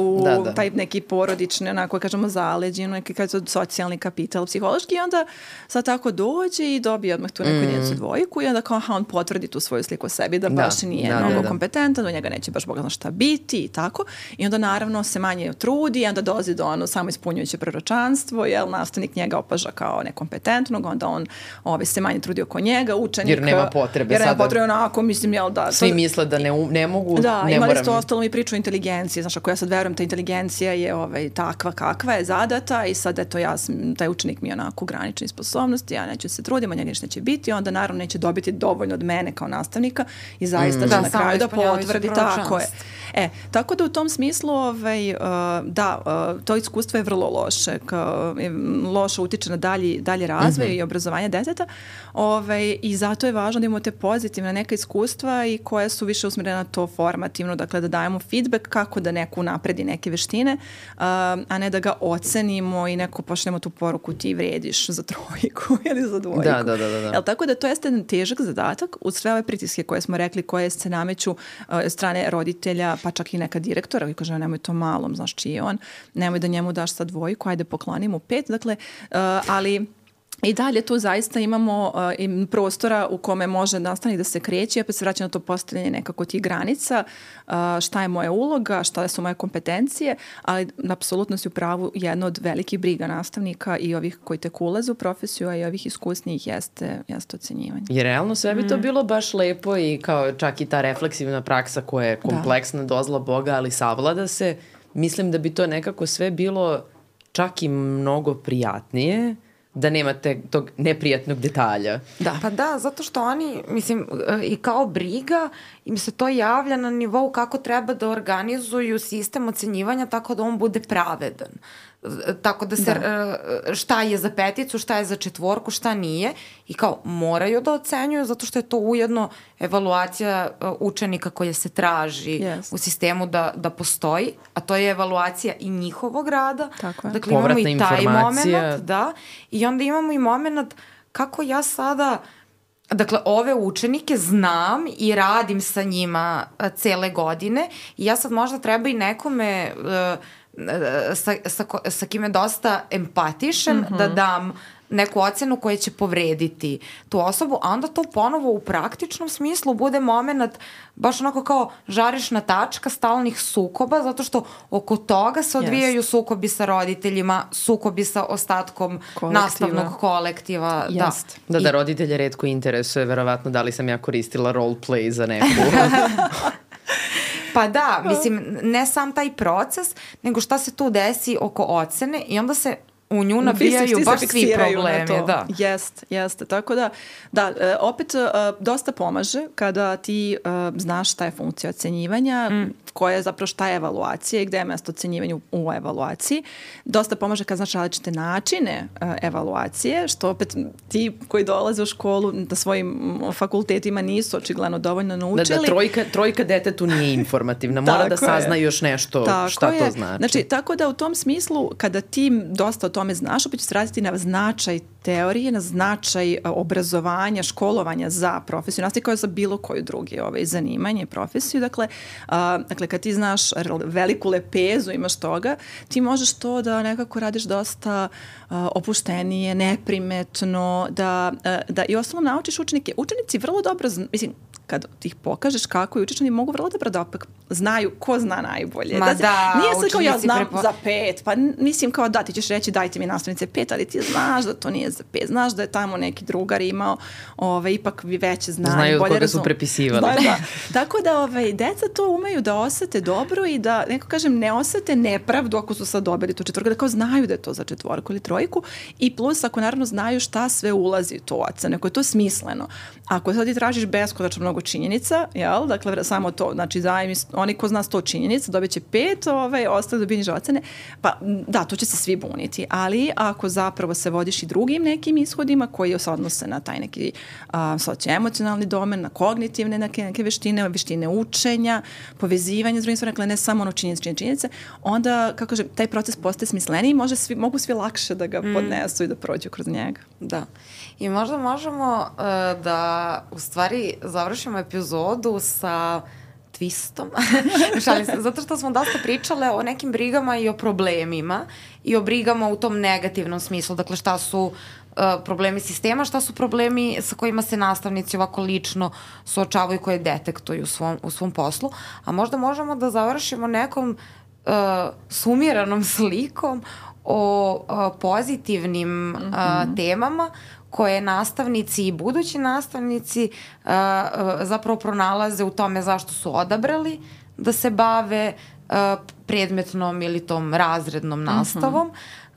taj neki porodični, onako kažemo zaleđi, neki socijalni kapital, psihološki, i onda sad tako dođe i dobije odmah tu neku njenicu dvojku i onda kao on potvrdi tu svoju sliku o sebi da baš nije mnogo kompetentan, do njega neće baš Bog zna šta biti i tako. I onda naravno se manje trudi i onda dolazi do samo ispunjujuće proročanstvo, jer nastavnik njega opaža kao nekompetentnog, onda on se manje trudi oko njega, učenik... Jer nema potrebe sada. Jer nema potrebe onako, mislim, jel da... Svi misle da ne mogu, da, ne imali moram... ste ostalo mi priču o inteligenciji, znaš, ako ja sad verujem, ta inteligencija je takva kakva je zadata i sad eto taj učenik mi je onako granične sposobnosti, ja neću se truditi, njega ništa neće biti, onda naravno neće dobiti dovoljno od mene kao nastavnika i zaista će na kraju da potvrdi, tako je. Tako da u tom smislu, to iskustvo je vrlo loše, loše utiče na dalji razvoj i obrazovanje deteta, i zato je važno da imamo te pozitivne neka iskustva i koje su više usmjerene na to formativno, dakle da dajemo feedback kako da neko napredi neke veštine, a ne da ga ocenimo i neko pošljemo tu poruku ti vrediš za trojku ili za dvojku. Da. Tako da to jeste jedan težak zadatak uz sve ove pritiske koje smo rekli, koje se nameću strane roditelja, pa čak i neka direktora koji kaže nemoj to malom, znaš čiji je on, nemoj da njemu daš sad dvojku, ajde poklonimo 5, dakle, ali i dalje tu zaista imamo prostora u kome može nastavnik da se kreće, opet se vraća na to postavljanje nekako tih granica, šta je moja uloga, šta su moje kompetencije, ali apsolutno si u pravu, jedna od velikih briga nastavnika i ovih koji tek ulaze u profesiju, a i ovih iskusnijih jeste ocenjivanje. Jer realno sve bi to bilo baš lepo i kao čak i ta refleksivna praksa koja je kompleksna dozla Boga, ali savlada se, mislim da bi to nekako sve bilo čak i mnogo prijatnije, da nemate tog neprijatnog detalja. Pa da, zato što oni, mislim, i kao briga im se to javlja na nivou kako treba da organizuju sistem ocenjivanja tako da on bude pravedan. Tako da se, šta je za 5, šta je za 4, šta nije, i kao moraju da ocenjuju zato što je to ujedno evaluacija učenika koja se traži u sistemu da postoji, a to je evaluacija i njihovog rada. Dakle, imamo i taj moment, i onda imamo i moment kako ja sada, dakle, ove učenike znam i radim sa njima cele godine i ja sad možda treba i nekome sa kime dosta empatišem da dam neku ocenu koja će povrediti tu osobu, a onda to ponovo u praktičnom smislu bude moment baš onako kao žarišna tačka stalnih sukoba, zato što oko toga se odvijaju sukobi sa roditeljima, sukobi sa ostatkom nastavnog kolektiva. Da, roditelje retko interesuje verovatno da li sam ja koristila roleplay za neku... Pa da, mislim, ne sam taj proces, nego šta se tu desi oko ocene i onda se u nju nabijaju baš svi problemi. Jeste. Tako da, opet dosta pomaže kada ti znaš šta je funkcija ocenjivanja, koja je zapravo šta je evaluacija i gde je mesto ocenjivanju u evaluaciji. Dosta pomaže kad znaš različite načine evaluacije, što opet ti koji dolaze u školu na svojim fakultetima nisu očigledno dovoljno naučili. Da, trojka detetu nije informativna, mora da sazna još nešto šta to znači. Znači, tako da u tom smislu, kada ti dosta o tome znaš, opet će se raditi na značaj teorije, na značaj obrazovanja, školovanja za profesiju, nastavnika kao za bilo koju drugi zanimanje, profesiju. Dakle, Dakle, kad ti znaš veliku lepezu, imaš toga, ti možeš to da nekako radiš dosta opuštenije, neprimetno, da i osnovno naučiš učenike. Učenici vrlo dobro, mislim, kad ti ih pokažeš kako i učiš, oni mogu vrlo dobro da opet znaju ko zna najbolje. Ma da, nije se kao ja znam za 5, pa mislim kao da ti ćeš reći dajte mi nastavnice 5, ali ti znaš da to nije za 5, znaš da je tamo neki drugar imao ipak veće znanje. Znaju od koga su prepisivali. Da. Tako da deca to umeju da osete dobro i da, neko kažem, ne osete nepravdu ako su sad dobili tu četvorku, da kao znaju da je to za četvorku ili trojku i plus ako naravno znaju šta sve ulazi u to ocene, ako je to smisleno. Ako sad ti tražiš beskonačno mnogo činjenica, jel? Dakle, samo to, znači oni ko zna 100 činjenica dobit će 5, ostali dobije niže ocene, pa da, to će se svi buniti, ali ako zapravo se vodiš i drugim nekim ishodima koji se odnose na taj neki socioemocionalni domen, na kognitivne neke veštine učenja, povezivanja s drugim stvarima, dakle ne samo ono činjenice, onda, kako kažem, taj proces postaje smisleniji i mogu svi lakše da ga podnesu i da prođu kroz njega. Da. I možda možemo da u stvari završimo epizodu sa twistom. Šalim se, zato što smo dosta pričale o nekim brigama i o problemima i o brigama u tom negativnom smislu. Dakle, šta su problemi sistema, šta su problemi sa kojima se nastavnici ovako lično suočavaju, koje detektuju u svom poslu. A možda možemo da završimo nekom sumiranom slikom o pozitivnim temama koje nastavnici i budući nastavnici zapravo pronalaze u tome zašto su odabrali da se bave predmetnom ili tom razrednom nastavom.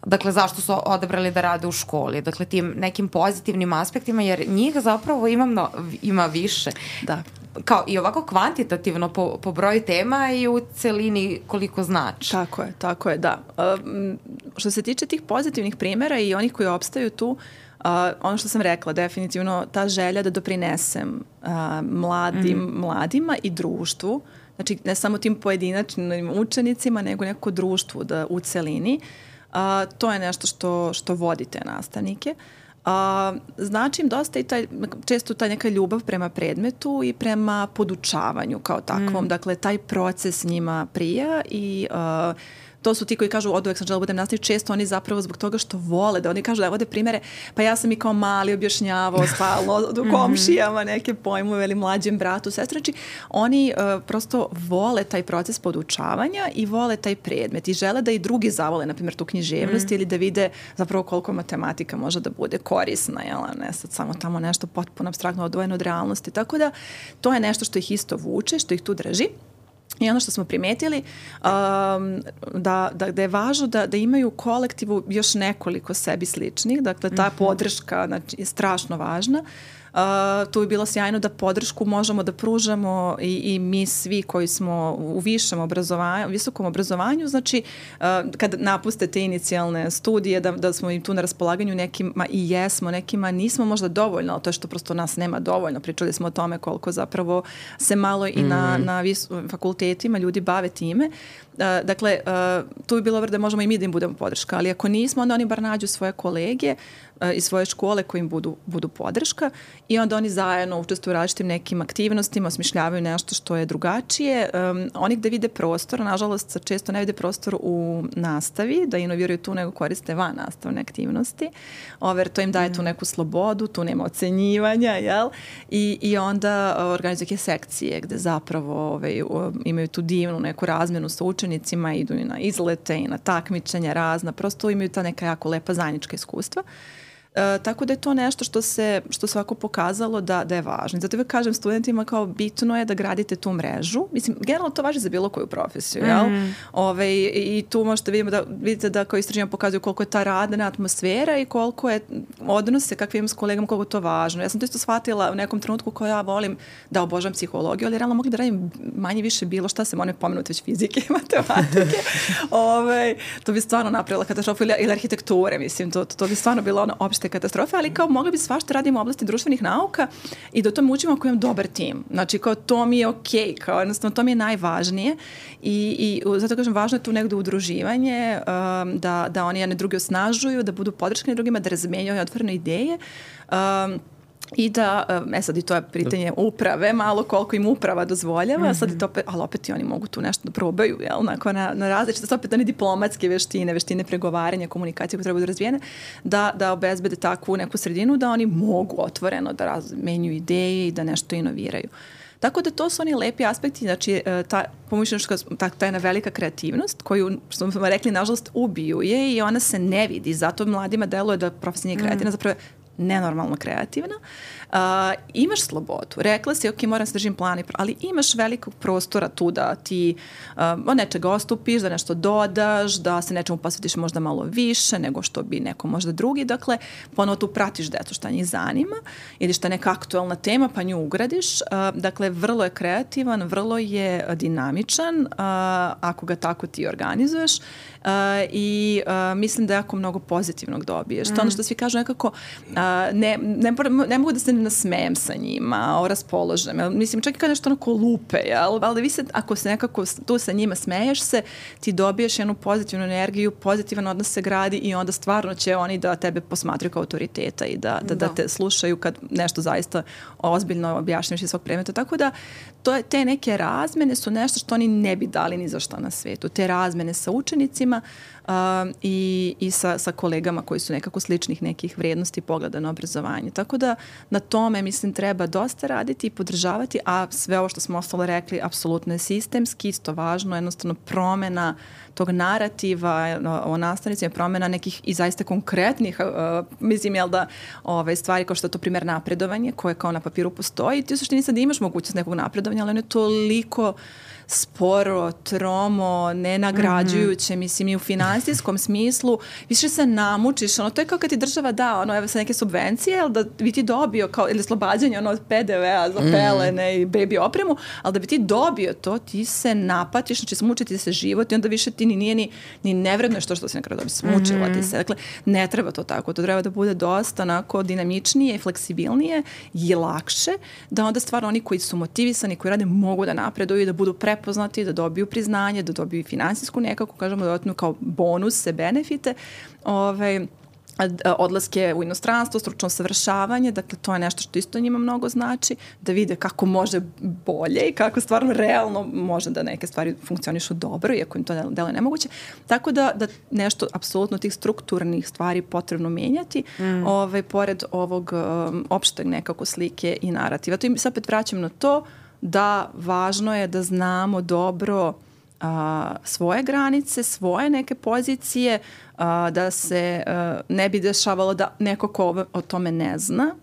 Dakle, zašto su odabrali da rade u školi. Dakle, tim nekim pozitivnim aspektima, jer njih zapravo ima više. Da. Kao i ovako kvantitativno po broju tema i u celini koliko znači. Tako je, da. Što se tiče tih pozitivnih primjera i onih koji opstaju tu, ono što sam rekla, definitivno ta želja da doprinesem mladima i društvu, znači ne samo tim pojedinačnim učenicima, nego neko društvu u celini, to je nešto što vodi te nastavnike. Znači im dosta i često ta neka ljubav prema predmetu i prema podučavanju kao takvom. Dakle, taj proces njima prija i to su ti koji kažu od uvek sam žela budem nastavnik, često oni zapravo zbog toga što vole, da oni kažu da vode primere, pa ja sam i kao mali objašnjavao stalno u komšijama neke pojmove ili mlađem bratu, sestri, znači oni prosto vole taj proces podučavanja i vole taj predmet i žele da i drugi zavole, na primjer, tu književnost ili da vide zapravo koliko matematika može da bude korisna, jel, ne sad samo tamo nešto potpuno apstraktno odvojeno od realnosti, tako da to je nešto što ih isto vuče, što ih tu drži. I ono što smo primetili, da je važno da imaju u kolektivu još nekoliko sebi sličnih, dakle ta podrška je strašno važna. Tu je bilo sjajno da podršku možemo da pružamo i mi svi koji smo u visokom obrazovanju, znači kad napuste te inicijalne studije, da smo im tu na raspolaganju, nekima i jesmo, nekima nismo možda dovoljno, ali to je što prosto nas nema dovoljno. Pričali smo o tome koliko zapravo se malo i na fakultetima ljudi bave time. Dakle, tu je bilo da možemo i mi da im budemo podrška, ali ako nismo, onda oni bar nađu svoje kolege iz svoje škole koji im budu podrška i onda oni zajedno učestvuju u različitim nekim aktivnostima, osmišljavaju nešto što je drugačije. Oni gde vide prostor, nažalost često ne vide prostor u nastavi, da inoviraju tu nego koriste van nastavne aktivnosti. To im daje tu neku slobodu, tu nema ocenjivanja, jel? I onda organizuju sekcije gde zapravo imaju tu divnu neku razmenu sa učenicima, idu i na izlete i na takmičenja razna, prosto imaju ta neka jako lepa zajednička iskustva. Tako da je to nešto što se ovako pokazalo da je važno. Zato kažem studentima kao bitno je da gradite tu mrežu. Mislim, generalno to važi za bilo koju profesiju, jel? I tu možete vidite da kao istraživanja pokazuju koliko je ta radna atmosfera i koliko je odnose kakve imam s kolegama, koliko je to važno. Ja sam to isto shvatila u nekom trenutku koja ja volim da obožavam psihologiju, ali realno mogli da radim manje više bilo šta se one pomenuti već fizike i matematike. To bi stvarno napravila katastrofu ili arhitekture, mislim, to bi stvarno bilo ono opšte katastrofe, ali kao mogli bi svašta radimo u oblasti društvenih nauka i da to učimo ako imam dobar tim. Znači, kao to mi je okej, kao jednostavno to mi je najvažnije i zato kažem, važno je tu negdje udruživanje, da oni jedne druge osnažuju, da budu podrškani drugima, da razmenjuju otvorene ideje. I da, sad i to je pitanje uprave, malo koliko im uprava dozvoljava, sad i to opet, ali opet i oni mogu tu nešto da probaju, jel, onako na različite, opet one diplomatske veštine pregovaranja, komunikacije koje treba da razvijene, da obezbede takvu neku sredinu, da oni mogu otvoreno da razmenjuju ideje i da nešto inoviraju. Tako da to su oni lepi aspekti, znači ta jedna velika kreativnost koju, što smo rekli, nažalost ubiju je i ona se ne vidi, zato mladima deluje da profesija nije kreativna, zapravo nenormalno kreativna. Imaš slobodu. Rekla si, ok, moram se držim plana, ali imaš velikog prostora tu da ti od nečega ostupiš, da nešto dodaš, da se nečemu posvetiš možda malo više nego što bi neko možda drugi. Dakle, ponovo tu pratiš decu šta njih zanima ili šta je neka aktualna tema pa nju ugradiš. Dakle, vrlo je kreativan, vrlo je dinamičan ako ga tako ti organizuješ i mislim da jako mnogo pozitivnog dobiješ. To ono što svi kažu nekako ne mogu da se nasmejem sa njima, raspoložem. Mislim, čak i kad nešto onako lupe, ali vi se, ako se nekako tu sa njima smeješ se, ti dobiješ jednu pozitivnu energiju, pozitivan odnos se gradi i onda stvarno će oni da tebe posmatraju kao autoriteta i da te slušaju kad nešto zaista ozbiljno objašnjavaš iz svog predmeta. Tako da te neke razmene su nešto što oni ne bi dali ni za šta na svetu. Te razmene sa učenicima i sa kolegama koji su nekako sličnih nekih vrednosti i pogleda na obrazovanje. Tako da na tome, mislim, treba dosta raditi i podržavati, a sve ovo što smo ostalo rekli apsolutno je sistemski, isto važno, jednostavno promena tog narativa o nastavnicima, promena nekih i zaista konkretnih, mislim, jel da stvari kao što je to primjer napredovanje, koje kao na papiru postoji, ti u suštini sad imaš mogućnost nekog napredovanja, ali ono je toliko sporo, tromo, nenagrađujuće, mislim, i u finansijskom smislu, više se namučiš, to je kao kad ti država da, evo sa neke subvencije, ali da bi ti dobio, ili slobađanje, od PDV-a za pelene i baby opremu, ali da bi ti dobio to, ti se napatiš, znači smučiti se život i onda više ti nije ni nevredno je što se na kraju dobi, smučila ti se. Dakle, ne treba to tako, to treba da bude dosta onako dinamičnije, fleksibilnije i lakše, da onda stvarno oni koji su motivisani, koji rade, mogu da napreduju i da budu prepoznati, da dobiju priznanje, da dobiju finansijsku nekako, kažemo, dodatno kao bonuse, benefite, odlaske u inostranstvo, stručno usavršavanje, dakle to je nešto što isto njima mnogo znači, da vide kako može bolje i kako stvarno realno može da neke stvari funkcionišu dobro, iako im to deluje nemoguće. Tako da nešto apsolutno tih strukturnih stvari potrebno menjati, pored ovog opšteg nekako slike i narativa. To im se opet vraćam na to da važno je da znamo dobro svoje granice, svoje neke pozicije, da se ne bi dešavalo da neko ko o tome ne zna,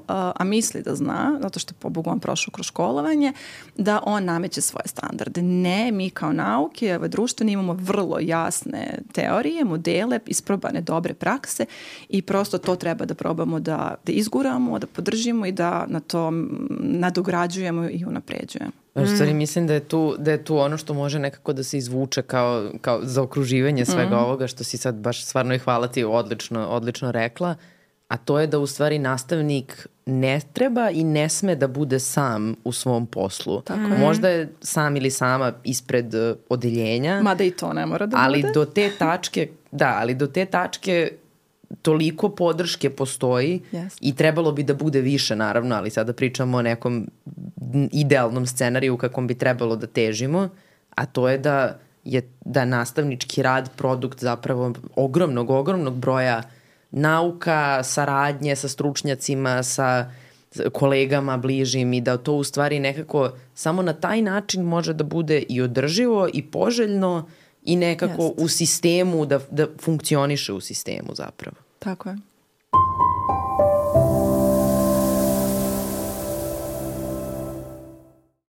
a misli da zna, zato što je pobogu on prošao kroz školovanje, da on nameće svoje standarde. Ne, mi kao nauke, društveni imamo vrlo jasne teorije, modele, isprobane dobre prakse i prosto to treba da probamo da izguramo, da podržimo i da na to nadograđujemo i unapređujemo. U stvari mislim da je tu ono što može nekako da se izvuče kao zaokruživanje svega ovoga što si sad baš stvarno i hvala ti odlično rekla, a to je da u stvari nastavnik ne treba i ne sme da bude sam u svom poslu. Možda je sam ili sama ispred odeljenja. Mada i to ne mora da ali bude. Do te tačke toliko podrške postoji i trebalo bi da bude više, naravno, ali sada pričamo o nekom idealnom scenariju kakvom bi trebalo da težimo, a to je da nastavnički rad produkt zapravo ogromnog broja nauka, saradnje sa stručnjacima, sa kolegama bližim i da to u stvari nekako samo na taj način može da bude i održivo i poželjno i nekako u sistemu, da funkcioniše u sistemu zapravo. Tako je.